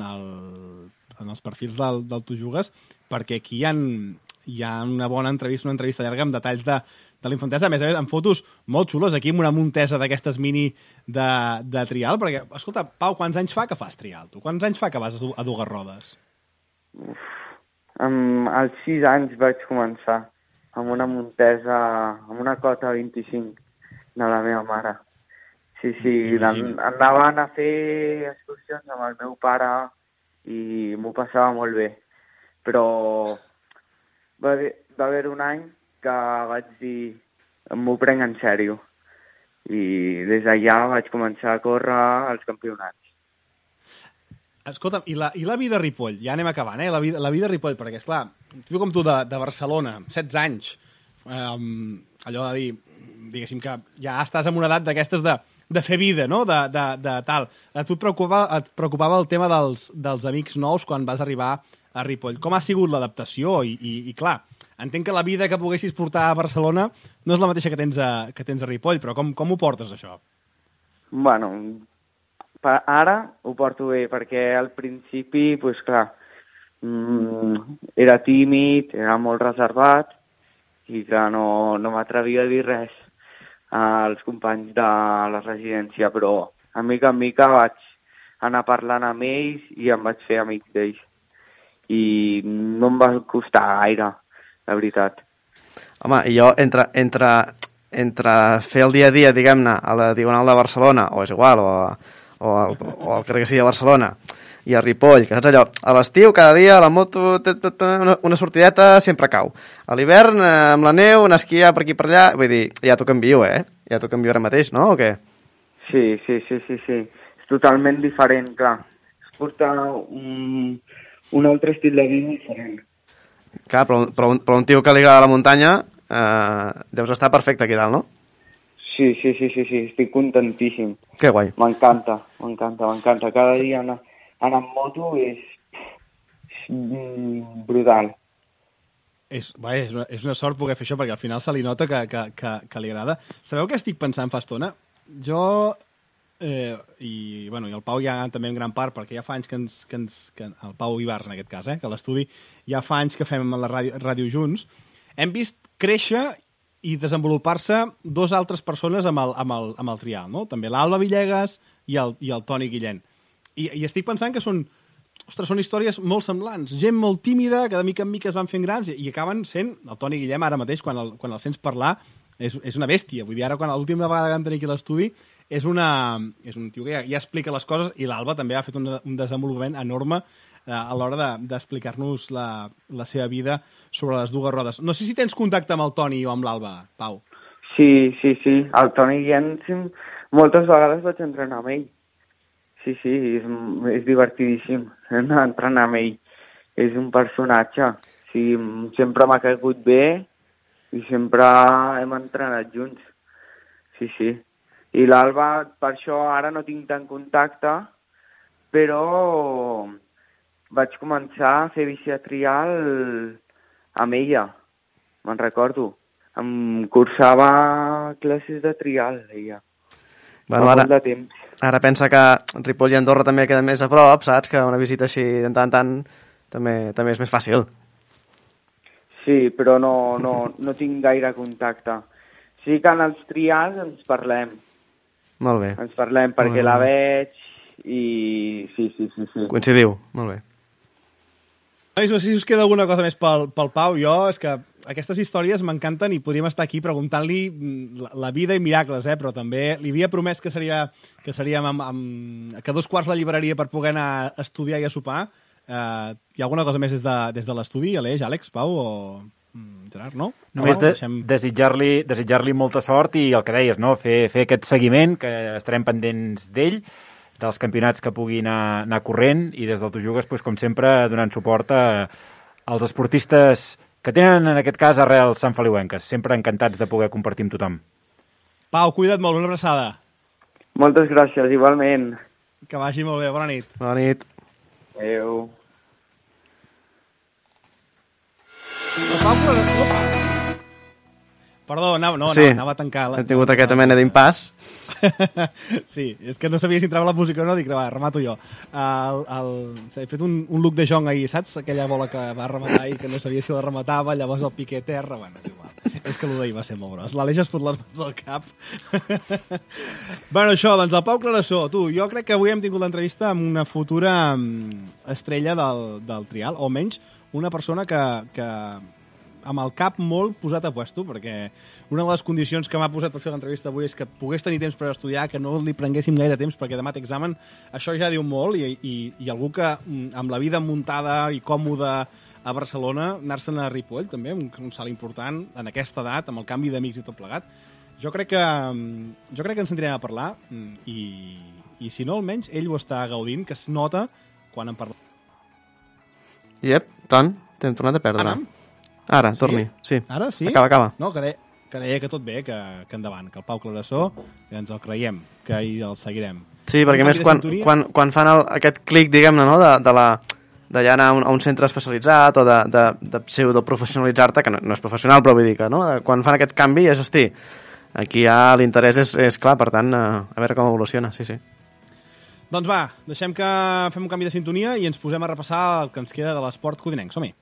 Speaker 2: els perfils del Tu Jugues, perquè aquí hi ha una bona entrevista, una entrevista llarga amb detalls de l'infantesa, a més amb fotos molt xules, aquí amb una muntesa d'aquestes mini de trial, perquè, escolta, Pau, quants anys fa que fas trial, tu? Quants anys fa que vas a dues rodes?
Speaker 7: Als 6 anys vaig començar amb una muntesa, amb una cota 25 de la meva mare. Sí, anaven a fer excursions amb el meu pare i m'ho passava molt bé. Però va haver un any que vaig dir, m'ho prenc en sèrio. I des d'allà vaig començar a córrer als campionats.
Speaker 2: Escolta'm, i la vida a Ripoll? Ja anem acabant, la vida a Ripoll, perquè, esclar, tu com tu de Barcelona, 16 anys, allò de dir, diguéssim que ja estàs en una edat d'aquestes de fer vida, no?, de tal. A tu et preocupava el tema dels amics nous quan vas arribar a Ripoll. Com ha sigut l'adaptació? I clar, entenc que la vida que poguessis portar a Barcelona no és la mateixa que tens a Ripoll, però com ho portes, això?
Speaker 7: Bueno, ara ho porto bé, perquè al principi, doncs clar, era tímid, era molt reservat, i que no m'atrevia a dir res als companys de la residència, però a mica en mica vaig anar parlant amb ells i em vaig fer amic d'ells. I no em va costar gaire, la veritat.
Speaker 3: Home, i jo, entre fer el dia a dia, diguem-ne, a la Diagonal de Barcelona, o és igual, o al carrer que sigui de Barcelona, i a Ripoll, que saps allò, a l'estiu cada dia la moto, una sortideta sempre cau. A l'hivern, amb la neu, anar a esquiar per aquí per allà, vull dir, ja t'ho canvio, ja t'ho canvio ara mateix, no, o què?
Speaker 7: Sí. És totalment diferent, clar. Es porta un altre estil de vida diferent.
Speaker 3: Clar, però un tio que li agrada la muntanya, deus estar perfecte aquí dalt, no?
Speaker 7: Sí, estic contentíssim.
Speaker 3: Que guai.
Speaker 7: M'encanta. Cada dia anar amb moto és brutal.
Speaker 2: És una sort poder fer això, perquè al final se li nota que li agrada. Sabeu què estic pensant fa estona? Jo, i el Pau ja també en gran part, perquè ja fa anys que el Pau Ibars en aquest cas, que a l'estudi ja fa anys que fem la ràdio junts, hem vist créixer i desenvolupar-se dos altres persones amb el trial, no? També l'Alba Villegas i el Toni Guillén. I estic pensant que són històries molt semblants. Gent molt tímida, que de mica en mica es van fent grans i acaben sent... El Toni Guillem ara mateix, quan el sents parlar, és una bèstia. Vull dir, ara, l'última vegada que vam tenir aquí a l'estudi, és un tio que ja explica les coses, i l'Alba també ha fet un desenvolupament enorme a l'hora d'explicar-nos la seva vida sobre les dues rodes. No sé si tens contacte amb el Toni o amb l'Alba, Pau.
Speaker 7: Sí. El Toni Guillén moltes vegades vaig entrenar amb ell. Sí, és divertidíssim entrenar amb ell. És un personatge. Sí, sempre m'ha caigut bé i sempre hem entrenat junts. Sí. I l'Alba, per això ara no tinc tant contacte, però vaig començar a fer bici de trial amb ella, me'n recordo. Em cursava classes de trial, ella.
Speaker 3: Bueno, ara pensa que Ripoll i Andorra també queden més a prop, saps? Que una visita així de tant en tant també és més fàcil.
Speaker 7: Sí, però no tinc gaire contacte. Sí que en els trials ens parlem.
Speaker 3: Molt bé.
Speaker 7: Ens parlem perquè la veig i sí.
Speaker 3: Coincidiu, molt bé.
Speaker 2: No sé si us queda alguna cosa més pel Pau. Jo, és que aquestes històries m'encanten i podríem estar aquí preguntant-li la vida i miracles, però també li havia promès que seríem que 2:15 la llibreria per poder anar a estudiar i a sopar. Hi ha alguna cosa més des de l'estudi, Aleix, Àlex, Pau o Gerard, no?
Speaker 6: Només desitjar-li molta sort i el que deies, no? Fer aquest seguiment, que estarem pendents d'ell, dels campionats que pugui anar corrent, i des del Tu Jugues, com sempre, donant suport als esportistes que tenen, en aquest cas, arrels santfeliuenques. Sempre encantats de poder compartir amb tothom.
Speaker 2: Pau, cuida't molt, una abraçada.
Speaker 7: Moltes gràcies, igualment.
Speaker 2: Que vagi molt bé, bona nit.
Speaker 3: Bona nit.
Speaker 7: Adéu.
Speaker 2: Perdó, anava a tancar...
Speaker 3: Hem tingut aquesta mena d'impàs.
Speaker 2: Sí, és que no sabia si entrava la música o no, dic, va, remato jo. He fet un look de Jong ahir, saps? Aquella bola que va rematar i que no sabia si la rematava, llavors el piqué a terra, bueno, és igual. És que l'Udei va ser molt gros. L'Aleix es fot les mans al cap. Bueno, això, doncs el Pau Clarasó. Tu, jo crec que avui hem tingut l'entrevista amb una futura estrella del trial, o almenys una persona que amb el cap molt posat a puesto, perquè una de les condicions que m'ha posat per fer l'entrevista avui és que pogués tenir temps per estudiar, que no li prenguéssim gaire temps perquè demà té examen. Això ja diu molt, i algú que amb la vida muntada i còmoda a Barcelona, anar-se'n a Ripoll també, un salt important en aquesta edat, amb el canvi d'amics i tot plegat. Jo crec que ens sentirem a parlar, i si no, almenys ell ho està gaudint, que es nota quan en parla.
Speaker 3: Iep, Ton, t'hem tornat a perdre. Ara, torni, sí.
Speaker 2: Ara, sí?
Speaker 3: Acaba.
Speaker 2: No, que deia que tot bé, que endavant, que el Pau Clarasó, que ens el creiem, que hi el seguirem.
Speaker 3: Sí, perquè més quan fan aquest clic, diguem-ne, no?, de ja anar a un centre especialitzat o de pseudoprofessionalitzar-te, que no és professional, però vull dir que, no?, quan fan aquest canvi és, hosti, aquí ja l'interès és clar, per tant, a veure com evoluciona, sí.
Speaker 2: Doncs va, deixem que fem un canvi de sintonia i ens posem a repassar el que ens queda de l'esport codinenc. Som-hi!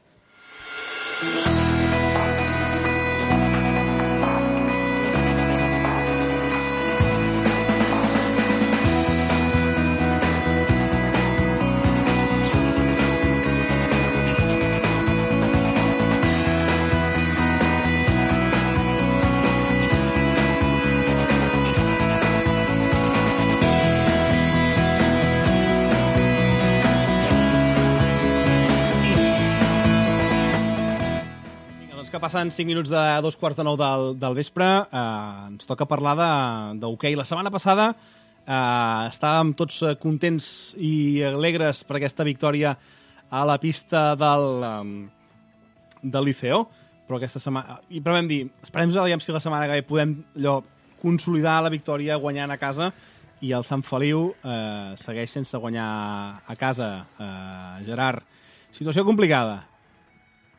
Speaker 2: passen 5 minuts de 2:45 del vespre. Ens toca parlar d'hoquei. La setmana passada estàvem tots contents i alegres per aquesta victòria a la pista del Liceo, però aquesta setmana... Però vam dir, esperem aviam si la setmana que ve podem consolidar la victòria guanyant a casa, i el Sant Feliu segueix sense guanyar a casa. Gerard, situació complicada.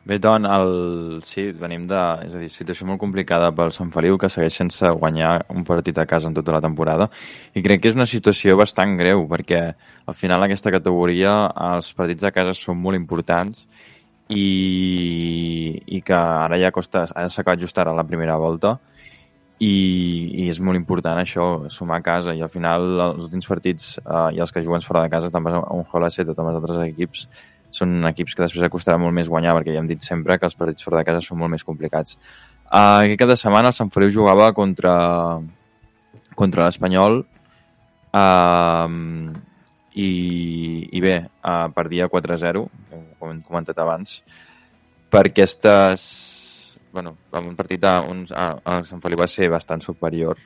Speaker 5: Bé, doncs, sí, venim de... És a dir, situació molt complicada pel Sant Feliu, que segueix sense guanyar un partit a casa en tota la temporada. I crec que és una situació bastant greu, perquè al final aquesta categoria els partits a casa són molt importants i que ara ja s'acaba just ara la primera volta i és molt important això, sumar a casa, i al final els últims partits i els que juguen fora de casa, tant a un Holaceta com als altres equips, són equips que després costarà molt més guanyar, perquè ja hem dit sempre que els partits fora de casa són molt més complicats. Aquest cap de setmana el Sant Feliu jugava contra l'Espanyol i bé, perdia 4-0, com hem comentat abans, per aquestes... Bueno, en un partit el Sant Feliu va ser bastant superior,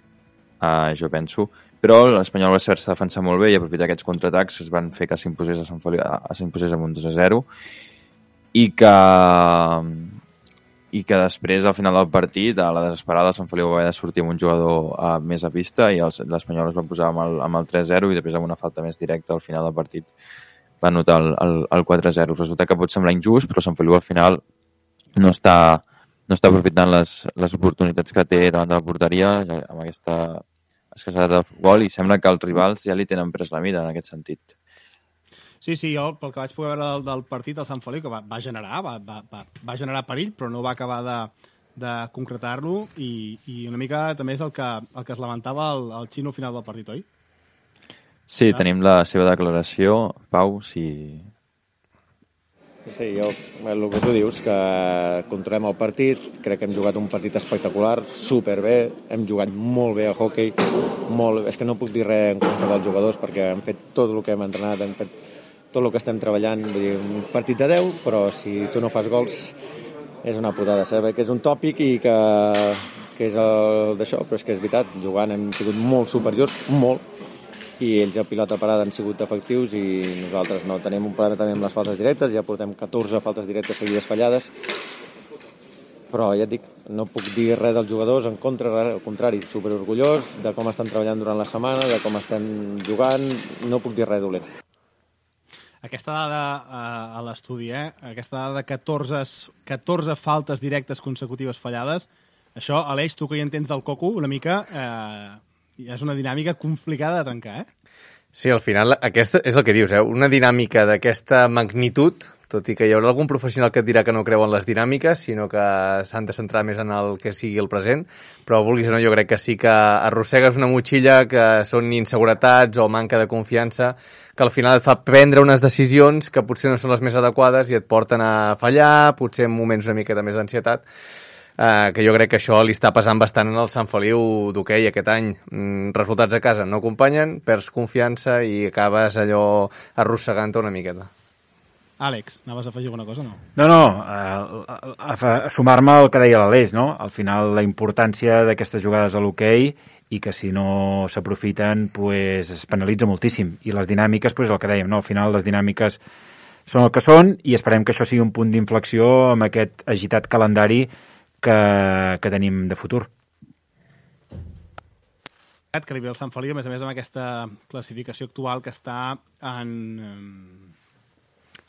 Speaker 5: jo penso, però l'Espanyol va saber-se defensar molt bé i aprofitar aquests contraatacs es van fer que s'imposés amb un 2-0 i que després, al final del partit, a la desesperada, el Sant Feliu va haver de sortir amb un jugador més a pista i l'Espanyol es va posar amb el 3-0 i després amb una falta més directa al final del partit va anotar el 4-0. Resulta que pot semblar injust, però el Sant Feliu al final no està aprofitant les oportunitats que té davant de la porteria amb aquesta escassetat de gol, i sembla que els rivals ja li tenen pres la mida en aquest sentit.
Speaker 2: Sí, jo pel que vaig poder veure del partit, el Sant Feliu, que va generar perill, però no va acabar de concretar-lo, i una mica també és el que es lamentava el Xino al final del partit, oi?
Speaker 5: Sí, tenim la seva declaració. Pau, si...
Speaker 8: Sí, el que tu dius, que controlem el partit, crec que hem jugat un partit espectacular, superbé, hem jugat molt bé a hoquei, és que no puc dir res en contra dels jugadors perquè han fet tot el que hem entrenat, hem fet tot el que estem treballant, vull dir, un partit de 10, però si tu no fas gols és una putada, saber que és un tòpic i que és d'això, però és que és veritat, jugant hem sigut molt superiors, molt, i ells a pilota parada han sigut efectius i nosaltres no. Tenim un problema també amb les faltes directes, ja portem 14 faltes directes seguides fallades, però ja et dic, no puc dir res dels jugadors en contra, al contrari, superorgullós de com estan treballant durant la setmana, de com estem jugant, no puc dir res dolent.
Speaker 2: Aquesta dada a l'estudi, aquesta dada de 14 faltes directes consecutives fallades, això, Aleix, tu que hi entens del coco, una mica... és una dinàmica complicada de trencar,
Speaker 4: Sí, al final, aquesta és el que dius, una dinàmica d'aquesta magnitud, tot i que hi haurà algun professional que et dirà que no creu en les dinàmiques, sinó que s'han de centrar més en el que sigui el present, però vulguis o no, jo crec que sí que arrossegues una motxilla que són inseguretats o manca de confiança, que al final et fa prendre unes decisions que potser no són les més adequades i et porten a fallar, potser en moments una miqueta més d'ansietat, que jo crec que això li està pesant bastant en el Sant Feliu d'hoquei aquest any. Resultats a casa no acompanyen, perds confiança i acabes allò arrossegant-te una miqueta.
Speaker 2: Àlex, anaves a afegir alguna cosa o no?
Speaker 6: No, a sumar-me al que deia l'Aleix, no? Al final la importància d'aquestes jugades a l'hoquei i que si no s'aprofiten pues, es penalitza moltíssim. I les dinàmiques, pues, el que dèiem, no? Al final les dinàmiques són el que són i esperem que això sigui un punt d'inflexió amb aquest agitat calendari que tenim de futur.
Speaker 2: Que li ve el Sant Feliu, a més amb aquesta classificació actual que està en...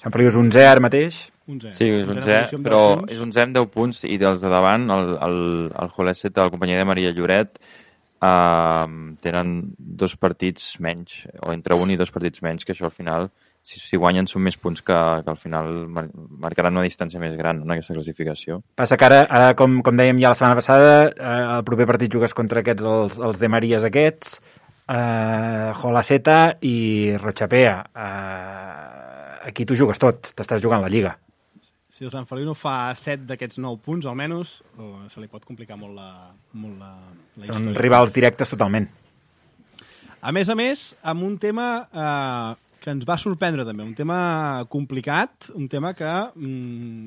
Speaker 6: Sant Feliu és 11è ara mateix?
Speaker 2: 11è.
Speaker 5: Sí, és 11è, però és 11è amb 10 punts i dels de davant, el Holaceta, la companyia de Maria Lloret, tenen 2 partits menys, o entre 1 i 2 partits menys, que això al final, si guanyen són més punts que al final marcaran una distància més gran, no, en aquesta classificació.
Speaker 6: Passa que ara com dèiem ja la setmana passada, el proper partit jugues contra aquests, els de Maries aquests, Holaceta i Rochapea. Aquí tu jugues tot, t'estàs jugant la Lliga.
Speaker 2: Si el Sant Feliu no fa 7 d'aquests 9 punts, almenys, se li pot complicar molt la història.
Speaker 6: Són rivals directes totalment.
Speaker 2: A més, amb un tema que ens va sorprendre també, un tema complicat, un tema que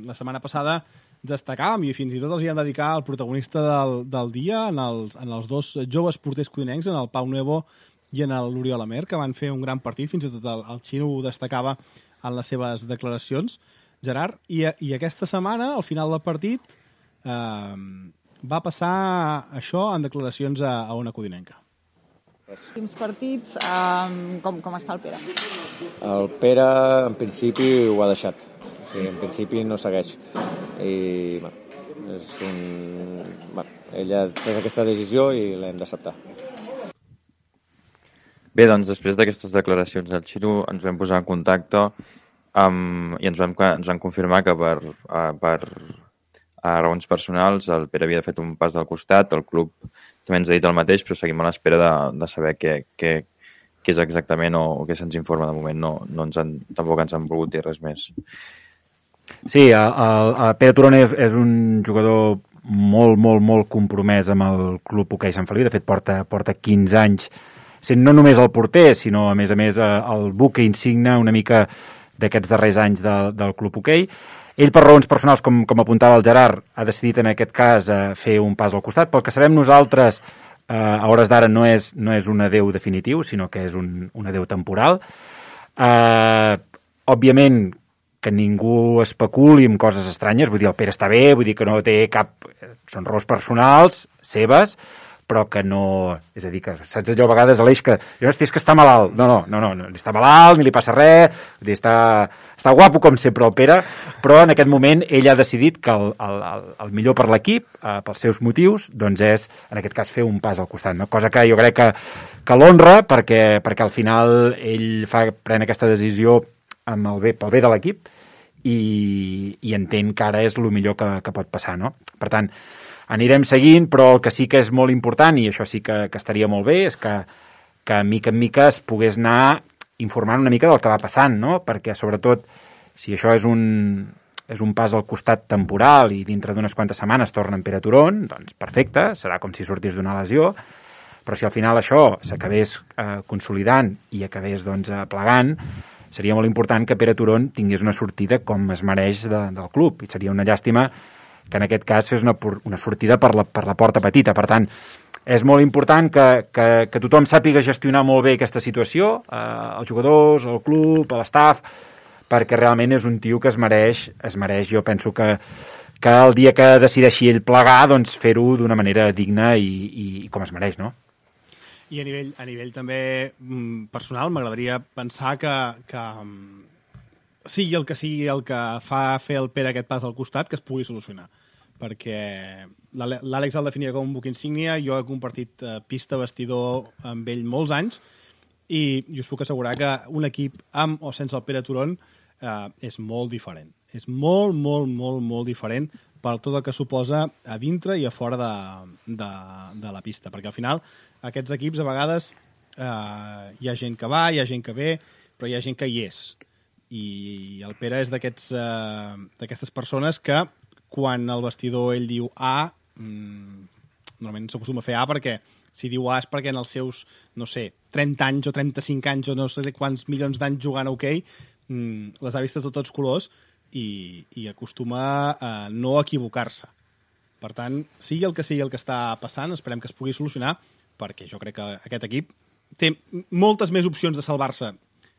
Speaker 2: la setmana passada destacàvem i fins i tot els hi vam dedicar el protagonista del dia en els dos joves porters codinencs, en el Pau Nuevo i en l'Oriol Amer, que van fer un gran partit, fins i tot el Xino ho destacava en les seves declaracions. Gerard, i aquesta setmana, al final del partit, va passar això en declaracions a Ona Codinenca.
Speaker 9: Últims partits, com està el Pere?
Speaker 8: El Pere, en principi, ho ha deixat. O sigui, en principi no segueix. I, ella ha pres aquesta decisió i l'hem d'acceptar.
Speaker 5: Bé, doncs, després d'aquestes declaracions del Xino ens vam posar en contacte i ens van confirmar que per raons personals el Pere havia fet un pas del costat, el club també ens ha dit el mateix, però seguim a l'espera de saber què és exactament o què se'ns informa. De moment tampoc ens han volgut dir res més.
Speaker 6: Sí, el Pere Turon és un jugador molt, molt, molt compromès amb el club hoquei Sant Feliu. De fet, porta 15 anys sent no només el porter, sinó a més el buque insigne una mica d'aquests darrers anys del club hoquei. Ell, per raons personals, com apuntava el Gerard, ha decidit en aquest cas fer un pas al costat. Pel que sabem nosaltres, a hores d'ara no és un adeu definitiu, sinó que és un adeu temporal. Òbviament, que ningú especuli amb coses estranyes, vull dir, el Pere està bé, vull dir que no té cap... Són raons personals, seves, però que no... És a dir, que saps allò a vegades, Aleix, que jo no estic que està malalt. No, ni està malalt, ni li passa res, vull dir, està guapo com sempre el Pere, però en aquest moment ell ha decidit que el millor per l'equip, pels seus motius, doncs és, en aquest cas, fer un pas al costat, no? Cosa que jo crec que l'honra, perquè al final ell pren aquesta decisió pel bé de l'equip i entén que ara és el millor que pot passar, no? Per tant, anirem seguint, però el que sí que és molt important, i això sí que estaria molt bé, és que mica en mica es pogués anar informant una mica del que va passant, no? Perquè, sobretot, si això és un pas al costat temporal i dintre d'unes quantes setmanes torna en Pere Turon, doncs perfecte, serà com si sortís d'una lesió, però si al final això s'acabés consolidant i acabés plegant, seria molt important que Pere Turon tingués una sortida com es mereix del club, i seria una llàstima que en aquest cas fes una sortida per la porta petita. Per tant, és molt important que tothom sàpiga gestionar molt bé aquesta situació, els jugadors, el club, l'estaf, perquè realment és un tio que es mereix, jo penso que el dia que decideixi ell plegar, doncs fer-ho d'una manera digna i com es mereix, no?
Speaker 2: I a nivell també personal, m'agradaria pensar que sigui el que fa fer el Pere aquest pas al costat, que es pugui solucionar. Perquè l'Àlex el definia com un buc insígnia, jo he compartit pista, vestidor amb ell molts anys, i us puc assegurar que un equip amb o sense el Pere Turon és molt diferent. És molt, molt, molt, molt diferent per tot el que suposa a dintre i a fora de la pista. Perquè al final aquests equips a vegades hi ha gent que va, hi ha gent que ve, però hi ha gent que hi és. I el Pere és d'aquestes persones que quan el vestidor ell diu A, normalment s'acostuma a fer A perquè si diu A és perquè en els seus, no sé, 30 anys o 35 anys o no sé quants milions d'anys jugant a hoquei, les ha vistes de tots colors i acostuma a no equivocar-se. Per tant, sigui el que està passant, esperem que es pugui solucionar, perquè jo crec que aquest equip té moltes més opcions de salvar-se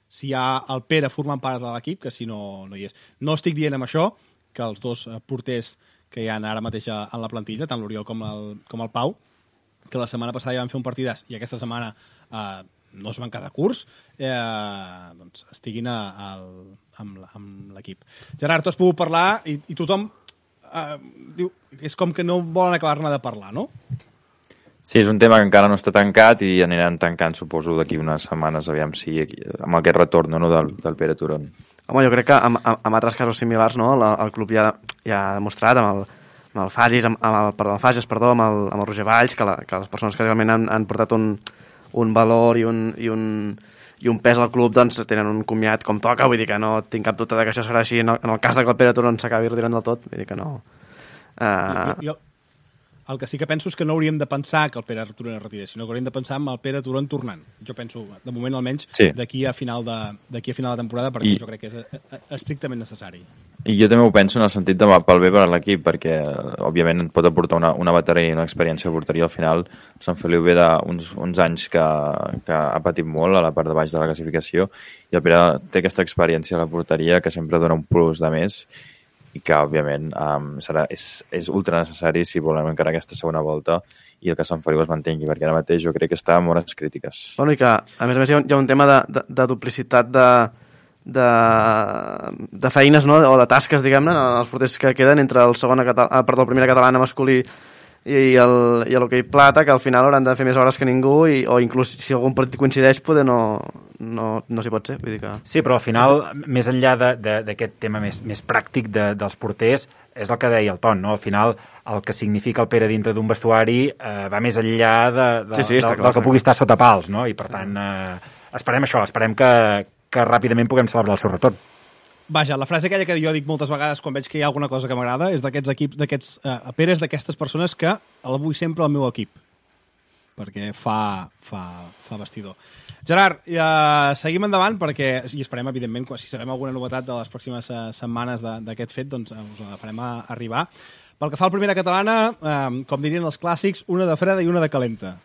Speaker 2: si hi ha el Pere formant part de l'equip que si no hi és. No estic dient amb això que els dos porters que hi ha ara mateix en la plantilla, tant l'Oriol com el Pau, que la setmana passada ja van fer un partidàs i aquesta setmana no es van quedar curts, doncs estiguin amb l'equip. Gerard, tu has pogut parlar i tothom diu, és com que no volen acabar-ne de parlar, no?
Speaker 5: Sí, és un tema que encara no està tancat i aniran tancant, suposo, d'aquí unes setmanes, aviam si amb aquest retorn del Pere Turon.
Speaker 3: Home, jo crec que amb altres casos similars, no, el club ja ha demostrat amb el Fages, amb el Roger Valls, que les persones que realment han portat un valor i un pes al club doncs tenen un comiat com toca, vull dir que no tinc cap dubte que això serà així en el cas que el Pere Turon s'acabi retirant del tot, vull dir que no.
Speaker 2: El que sí que penso és que no hauríem de pensar que el Pere Turon es retira, sinó que hauríem de pensar en el Pere Turon tornant. Jo penso, de moment almenys, d'aquí a final de temporada, perquè jo crec que és estrictament necessari.
Speaker 5: I jo també ho penso en el sentit de pel bé per a l'equip, perquè òbviament pot aportar una bateria i una experiència de porteria. Al final, Sant Feliu ve d'uns anys que ha patit molt a la part de baix de la classificació, i el Pere té aquesta experiència a la porteria que sempre dona un plus de més, i que, òbviament, és ultra necessari si volem encara aquesta segona volta i el que Sant Feliu es mantengui, perquè ara mateix jo crec que està amb hores crítiques.
Speaker 3: Bueno, i que, a més hi ha un tema de duplicitat de feines, no?, o de tasques, diguem-ne, els porters que queden entre el primera catalana masculí i l'hoquei plata, que al final hauran de fer més hores que ningú, o inclús si algun partit coincideix poder no s'hi pot ser, vull dir que...
Speaker 6: Sí, però al final, més enllà d'aquest tema més pràctic dels porters, és el que deia el Ton, no? Al final, el que significa el Pere dintre d'un vestuari va més enllà del que pugui estar sota pals, no? I per tant, esperem això, esperem que ràpidament puguem celebrar el seu retorn.
Speaker 2: Vaja, la frase aquella que jo dic moltes vegades quan veig que hi ha alguna cosa que m'agrada és d'aquests equips, Pere és d'aquestes persones que el vull sempre al meu equip, perquè fa vestidor. Gerard, seguim endavant perquè, i esperem, evidentment, si sabem alguna novetat de les pròximes setmanes d'aquest fet, doncs us la farem arribar. Pel que fa al primera catalana, com dirien els clàssics, una de freda i una de calenta.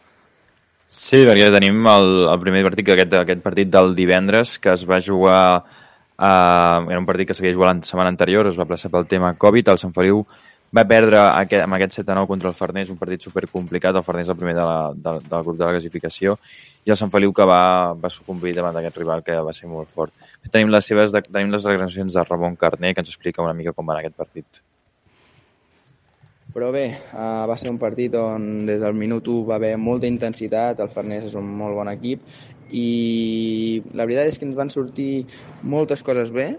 Speaker 5: Sí, perquè tenim el primer partit, aquest partit del divendres, que es va jugar... era un partit que s'havia jugat la setmana anterior, es va plaçar pel tema Covid. El Sant Feliu va perdre amb aquest 7-9 contra el Farners, un partit supercomplicat. El Farners el primer del grup de la classificació, i el Sant Feliu que va sucumbir davant d'aquest rival que va ser molt fort. Tenim les declaracions de Ramon Carné, que ens explica una mica com va anar aquest partit.
Speaker 10: Però bé, va ser un partit on des del minut 1 va haver molta intensitat. El Farners és un molt bon equip i la veritat és que ens van sortir moltes coses bé.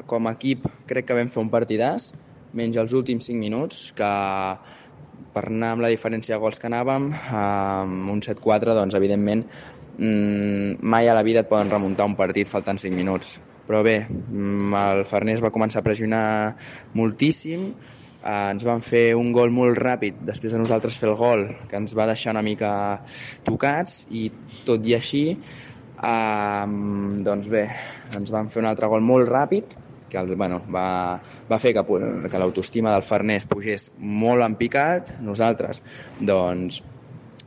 Speaker 10: Com a equip crec que vam fer un partidàs, menys els últims 5 minuts, que per anar amb la diferència de gols que anàvem, amb un 7-4, doncs evidentment mai a la vida et poden remuntar un partit faltant 5 minuts. Però bé, el Farners va començar a pressionar moltíssim, ens van fer un gol molt ràpid després de nosaltres fer el gol, que ens va deixar una mica tocats, i tot i així doncs bé, ens van fer un altre gol molt ràpid que va fer que l'autoestima del Farners pugés molt en picat. Nosaltres doncs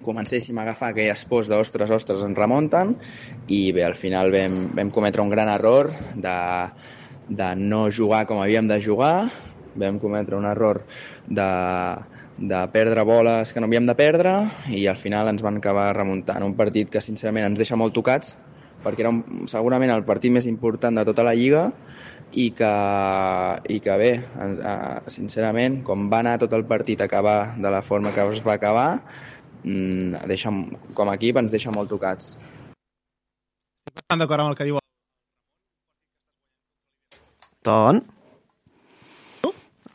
Speaker 10: comencéssim a agafar aquelles pors d'ostres, ens remunten, i bé, al final vam cometre un gran error de no jugar com havíem de jugar. Vam cometre un error de perdre boles que no havíem de perdre, i al final ens van acabar remuntant. Un partit que sincerament ens deixa molt tocats, perquè era segurament el partit més important de tota la Lliga, i que bé, sincerament, com va anar tot el partit a acabar de la forma que es va acabar, com a equip ens deixa molt tocats.
Speaker 2: Estic bastant d'acord amb el que diu
Speaker 3: Ton?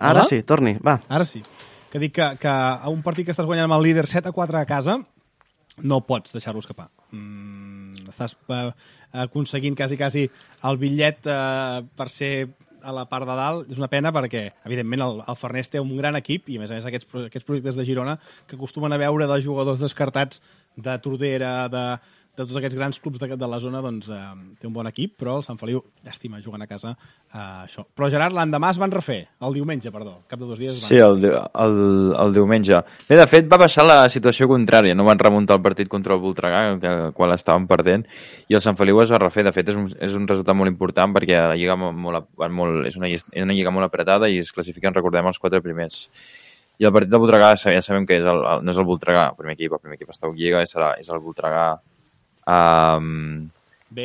Speaker 3: Ara sí, torni, va.
Speaker 2: Ara sí. Que dic que a un partit que estàs guanyant amb el líder 7-4 a casa no pots deixar-lo escapar. Estàs aconseguint quasi el bitllet per ser a la part de dalt. És una pena perquè, evidentment, el Farners té un gran equip, i a més aquests projectes de Girona que acostumen a veure de jugadors descartats de Tordera, de tots aquests grans clubs de la zona, doncs té un bon equip, però el Sant Feliu, llàstima, jugant a casa, això. Però Gerard, l'endemà es van refer, el diumenge, perdó, cap de 2 dies.
Speaker 5: Sí, el diumenge. Bé, de fet, va passar la situació contrària, no van remuntar el partit contra el Voltregà, el qual estaven perdent, i el Sant Feliu es va refer. De fet, és un resultat molt important perquè la lliga és una lliga molt apretada i es classifiquen, recordem, els 4 primers. I el partit del Voltregà ja sabem que no és el Voltregà, el primer equip està a Lliga, és el Voltregà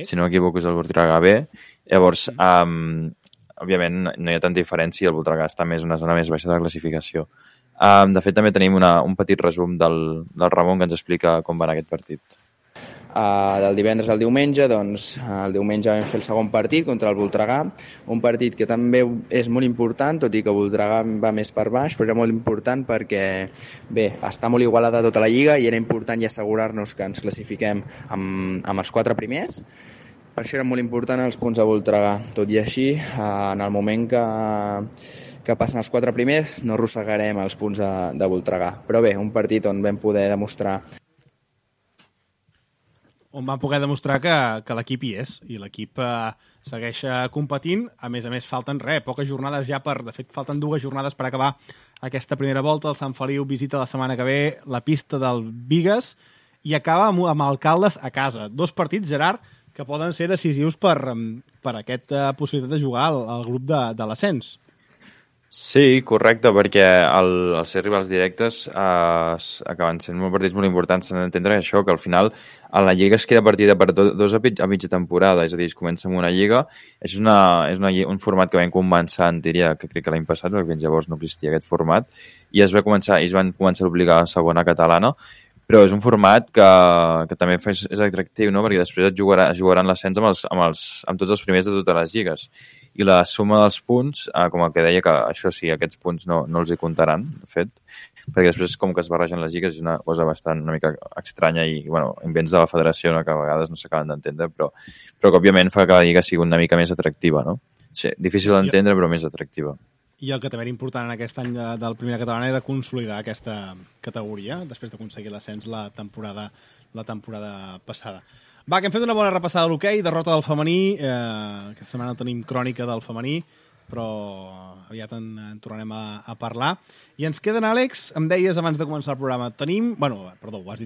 Speaker 5: si no m'equivoco és el Voltregà B. Llavors, òbviament no hi ha tanta diferència, el Voltregà està més una zona més baixa de la classificació. De fet, també tenim un petit resum del Ramon que ens explica com va anar aquest partit.
Speaker 10: Del divendres al diumenge, doncs el diumenge vam fer el segon partit contra el Voltregà, un partit que també és molt important, tot i que Voltregà va més per baix, però era molt important perquè bé, està molt igualada tota la lliga i era important ja assegurar-nos que ens classifiquem amb els 4 primers. Per això eren molt important els punts de Voltregà. Tot i així, en el moment que passen els 4 primers no arrossegarem els punts de Voltregà. Però bé, un partit on vam poder demostrar
Speaker 2: que l'equip hi és, i l'equip segueix competint. A més, falten poques jornades ja de fet, falten 2 jornades per acabar aquesta primera volta. El Sant Feliu visita la setmana que ve la pista del Bigues i acaba amb Alcaldes a casa. 2 partits, Gerard, que poden ser decisius per aquesta possibilitat de jugar al grup de l'ascens.
Speaker 5: Sí, correcte, perquè els ser rivals directes acaben sent partits molt importants. S'han d'entendre això, que al final a la Lliga es queda partida per 2 a mitja temporada, és a dir, es comença amb una Lliga. És un format que vam començar, diria, que crec que l'any passat, perquè fins llavors no existia aquest format, i es van començar a obligar a segona catalana, però és un format que també és atractiu, no? Perquè després es jugaran l'ascens amb tots els primers de totes les lligues. I la suma dels punts, com el que deia, que això sí, aquests punts no els hi comptaran, de fet, perquè després com que es barregen les lligues és una cosa una mica estranya i, invents de la federació que a vegades no s'acaben d'entendre, però que òbviament fa que la lliga sigui una mica més atractiva, no? Sí, difícil d'entendre, però més atractiva.
Speaker 2: I el que també era important en aquest any del Primera Catalana era consolidar aquesta categoria després d'aconseguir l'ascens la temporada passada. Va, que hem fet una bona repassada de l'hoquei, derrota del femení, aquesta setmana no tenim crònica del femení, però aviat en tornarem a parlar. I ens queden, Àlex, em deies abans de començar el programa, ho has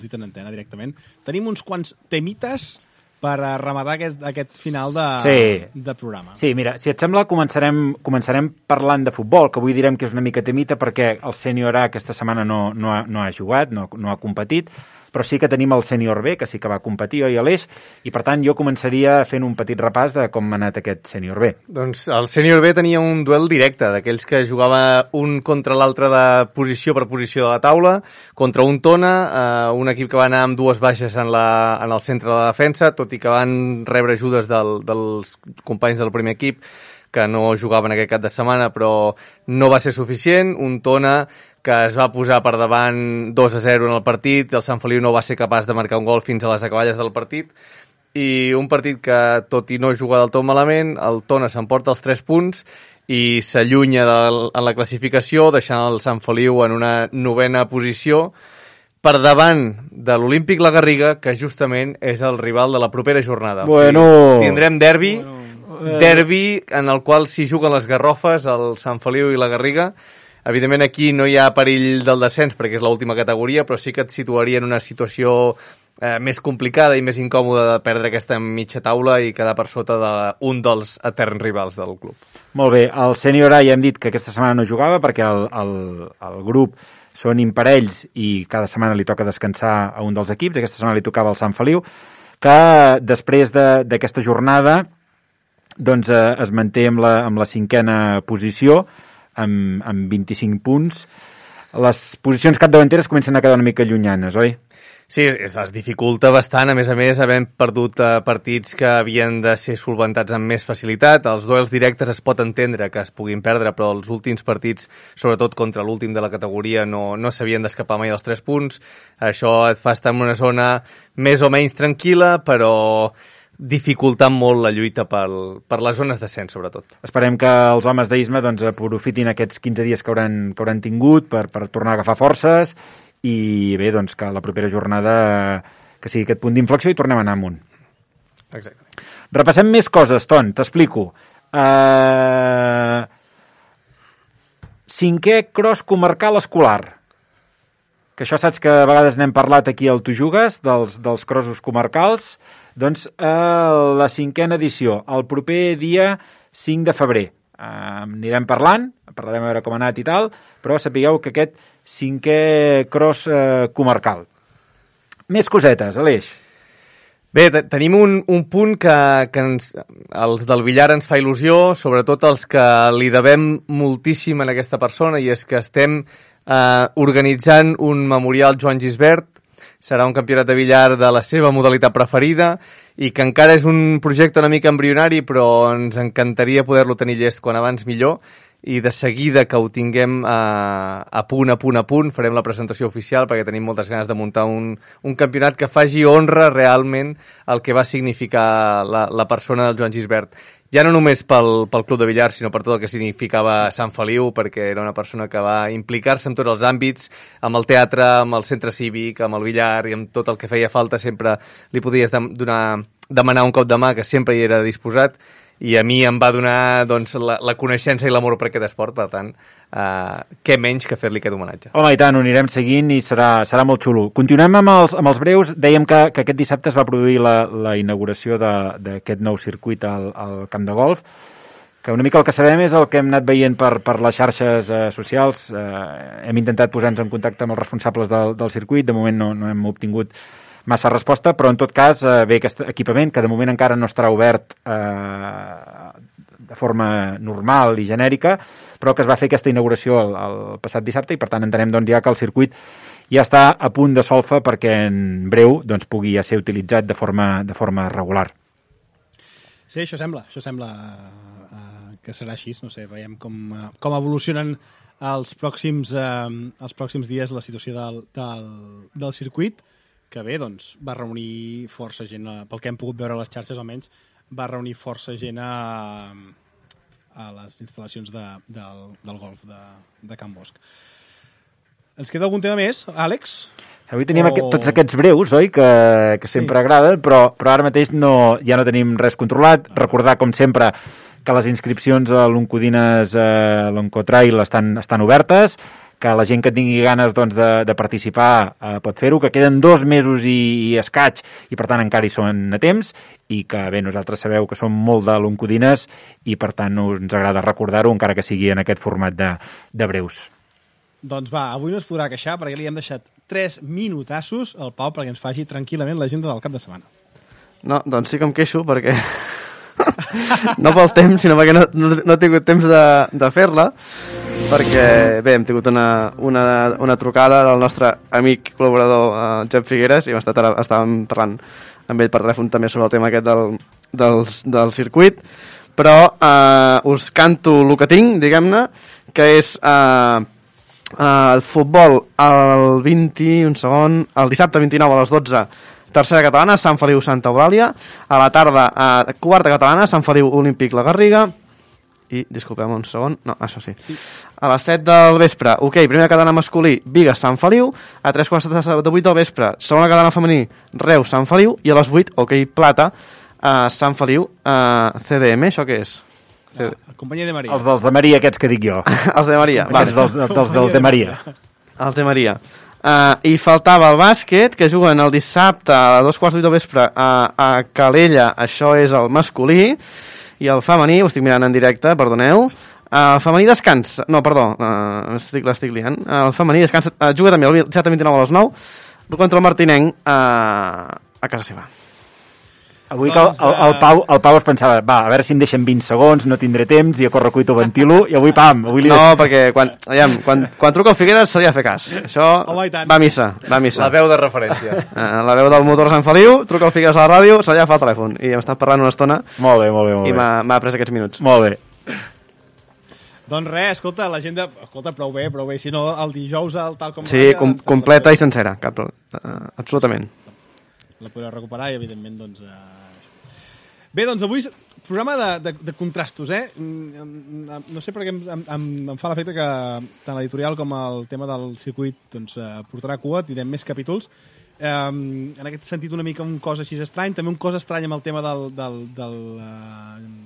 Speaker 2: dit en antena directament, tenim uns quants temites per rematar aquest final de programa.
Speaker 6: Sí, mira, si et sembla, començarem parlant de futbol, que avui direm que és una mica temita perquè el sènior A aquesta setmana no ha jugat, no ha competit, però sí que tenim el sènior B, que sí que va competir, oi, Aleix? I, per tant, jo començaria fent un petit repàs de com ha anat aquest sènior B.
Speaker 4: Doncs el sènior B tenia un duel directe, d'aquells que jugava un contra l'altre de posició per posició de la taula, contra un Tona, un equip que va anar amb 2 baixes en el centre de la defensa, tot i que van rebre ajudes dels companys del primer equip, que no jugaven aquest cap de setmana, però no va ser suficient. Un Tona que es va posar per davant 2-0 en el partit, el Sant Feliu no va ser capaç de marcar un gol fins a les acaballes del partit, i un partit que, tot i no jugar del tot malament, el Tona s'emporta els 3 punts i s'allunya en la classificació, deixant el Sant Feliu en una 9a posició, per davant de l'Olímpic La Garriga, que justament és el rival de la propera jornada.
Speaker 6: Bueno.
Speaker 4: O sigui, tindrem derbi en el qual s'hi juguen les garrofes, el Sant Feliu i la Garriga. Evidentment aquí no hi ha perill del descens perquè és l'última categoria, però sí que et situaria en una situació més complicada i més incòmoda de perdre aquesta mitja taula i quedar per sota d'un dels eterns rivals del club.
Speaker 6: Molt bé, el sènior A ja hem dit que aquesta setmana no jugava perquè el grup són imparells i cada setmana li toca descansar a un dels equips. Aquesta setmana li tocava al Sant Feliu, que després d'aquesta jornada doncs, es manté amb la 5a posició, amb 25 punts. Les posicions capdavanteres comencen a quedar una mica llunyanes, oi?
Speaker 4: Sí, es dificulta bastant, a més, havent perdut partits que havien de ser solventats amb més facilitat. Els duels directes es pot entendre que es puguin perdre, però els últims partits, sobretot contra l'últim de la categoria, no s'havien d'escapar mai dels 3 punts. Això et fa estar en una zona més o menys tranquil·la, però dificultant molt la lluita per les zones d'ascens, sobretot.
Speaker 6: Esperem que els homes d'Isma aprofitin aquests 15 dies que hauran tingut per tornar a agafar forces i bé, doncs que la propera jornada que sigui aquest punt d'inflexió i tornem a anar amunt.
Speaker 4: Exacte.
Speaker 6: Repassem més coses, Ton, t'explico. 5è cross comarcal escolar. Que això saps que a vegades n'hem parlat aquí al Tu Jugues, dels crossos comarcals. Doncs la 5a edició, el proper dia 5 de febrer. Anirem parlarem a veure com ha anat i tal, però sapigueu que aquest 5è cross comarcal. Més cosetes, Aleix.
Speaker 4: Bé, tenim un punt que els del Villar ens fa il·lusió, sobretot els que li devem moltíssim a aquesta persona, i és que estem organitzant un memorial Joan Gisbert. Serà un campionat de billar de la seva modalitat preferida i que encara és un projecte una mica embrionari, però ens encantaria poder-lo tenir llest quan abans millor, i de seguida que ho tinguem a punt, farem la presentació oficial perquè tenim moltes ganes de muntar un campionat que faci honra realment al que va significar la persona del Joan Gisbert. ja no només pel Club de Billar, sinó per tot el que significava Sant Feliu, perquè era una persona que va implicar-se en tots els àmbits, amb el teatre, amb el centre cívic, amb el billar i amb tot el que feia falta, sempre li podies demanar un cop de mà, que sempre hi era disposat, i a mi em va donar doncs, la coneixença i l'amor per aquest esport, per tant, què menys que fer-li aquest homenatge.
Speaker 6: Home, i tant, ho anirem seguint i serà molt xulo. Continuem amb els breus. Dèiem que aquest dissabte es va produir la inauguració d'aquest nou circuit al camp de golf, que una mica el que sabem és el que hem anat veient per les xarxes socials. Hem intentat posar-nos en contacte amb els responsables del circuit, de moment no hem obtingut massa resposta, però en tot cas ve aquest equipament, que de moment encara no estarà obert de forma normal i genèrica, però que es va fer aquesta inauguració el passat dissabte i per tant entenem doncs, ja que el circuit ja està a punt de solfa perquè en breu doncs, pugui ja ser utilitzat de forma regular.
Speaker 2: Sí, això sembla que serà així, no sé, veiem com evolucionen els pròxims dies la situació del circuit, que bé, doncs, va reunir força gent, pel que hem pogut veure a les xarxes almenys, va reunir força gent a les instal·lacions del golf de Can Bosch. Ens queda algun tema més, Àlex?
Speaker 6: Avui teníem tots aquests breus, oi?, que sempre agraden, però ara mateix ja no tenim res controlat. Recordar, com sempre, que les inscripcions a l'Oncodines l'Oncotrail estan obertes, que la gent que tingui ganes doncs, de participar pot fer-ho, que queden 2 mesos i escaig i per tant encara hi són a temps i que bé, nosaltres sabeu que som molt de l'Oncodines i per tant ens agrada recordar-ho encara que sigui en aquest format de breus.
Speaker 2: Doncs va, avui no es podrà queixar perquè li hem deixat 3 minutassos al Pau perquè ens faci tranquil·lament l'agenda del cap de setmana. No,
Speaker 3: doncs sí que em queixo perquè no pel temps, sinó perquè no he tingut temps de fer-la, perquè bé, hem tingut una trucada del nostre amic col·laborador Jep Figueres i estàvem parlant amb ell per telèfon també sobre el tema aquest del circuit, però us canto el que tinc, diguem-ne, que és el futbol el dissabte 29 a les 12, tercera catalana, Sant Feliu Santa Eulàlia, a la tarda quarta catalana, Sant Feliu Olímpic La Garriga, i, disculpem un segon, no, això sí. A les 7 del vespre, primera catalana masculí, Bigues Sant Feliu, a 3:15 de 8 del vespre, segona catalana femení, Reus Sant Feliu, i a les 8, plata, Sant Feliu CDM, això què és?
Speaker 2: Companyia de Maria.
Speaker 6: Els dels de Maria, aquests que dic jo.
Speaker 3: Els de Maria, vale.
Speaker 6: dels de Maria.
Speaker 3: Els de Maria. I faltava el bàsquet, que juguen el dissabte a 2:15 del vespre a Calella, això és el masculí, i el femení, ho estic mirant en directe, perdoneu, el femení descansa, no, perdó, l'estic liant, el femení descansa, juga també el dissabte 29 a les 9 contra el Martinenc a casa seva.
Speaker 6: Avui que el Pau es pensava, a veure si em deixen 20 segons, no tindré temps, i a correcuito ventilo, i avui
Speaker 3: No, perquè quan truca el Figueres se li ha de fer cas. Això va a missa.
Speaker 4: La veu de referència.
Speaker 3: La veu del motor Sant Feliu, truca el Figueres a la ràdio, se li ha de fer el telèfon. I hem estat parlant una estona.
Speaker 6: Molt bé.
Speaker 3: I m'ha pres aquests minuts.
Speaker 6: Molt bé.
Speaker 2: Doncs res, escolta, l'agenda... Escolta, prou bé, si no, el dijous, tal com...
Speaker 3: Sí, completa i sencera, absolutament.
Speaker 2: La podreu recuperar i, evidentment, doncs... Bé, doncs avui programa de contrastos, No sé per què em fa l'efecte que tant l'editorial com el tema del circuit doncs, portarà cua, tindrem més capítols. En aquest sentit, una mica un cos així estrany, també un cos estrany amb el tema del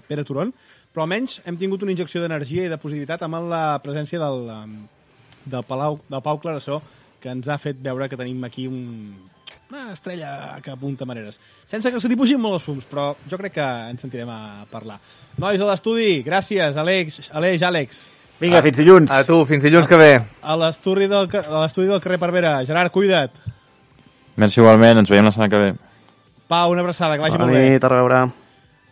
Speaker 2: Pere Turon, però almenys hem tingut una injecció d'energia i de positivitat amb la presència del Pau Clarasó, que ens ha fet veure que tenim aquí una estrella que apunta maneres. Sense que se li pugin molt els fums, però jo crec que ens sentirem a parlar. Nois de l'estudi, gràcies, Àlex.
Speaker 6: Vinga, fins dilluns.
Speaker 4: A tu, fins dilluns que ve.
Speaker 2: A l'estudi del carrer Parvera. Gerard, cuida't.
Speaker 5: Merci igualment, ens veiem la setmana que ve.
Speaker 2: Pau, una abraçada, que vagi molt bé.
Speaker 3: Bona nit, a reveure.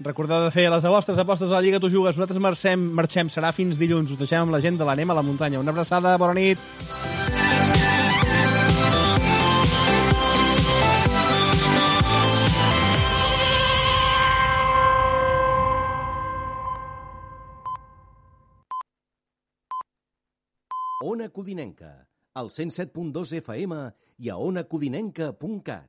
Speaker 2: Recordeu de fer les vostres apostes a la Lliga Tu Jugues. Nosaltres marxem, serà fins dilluns. Us deixem amb la gent de l'Anem a la muntanya. Una abraçada, bona nit.
Speaker 1: Ona Codinenca, al 107.2 FM i a onacodinenca.cat.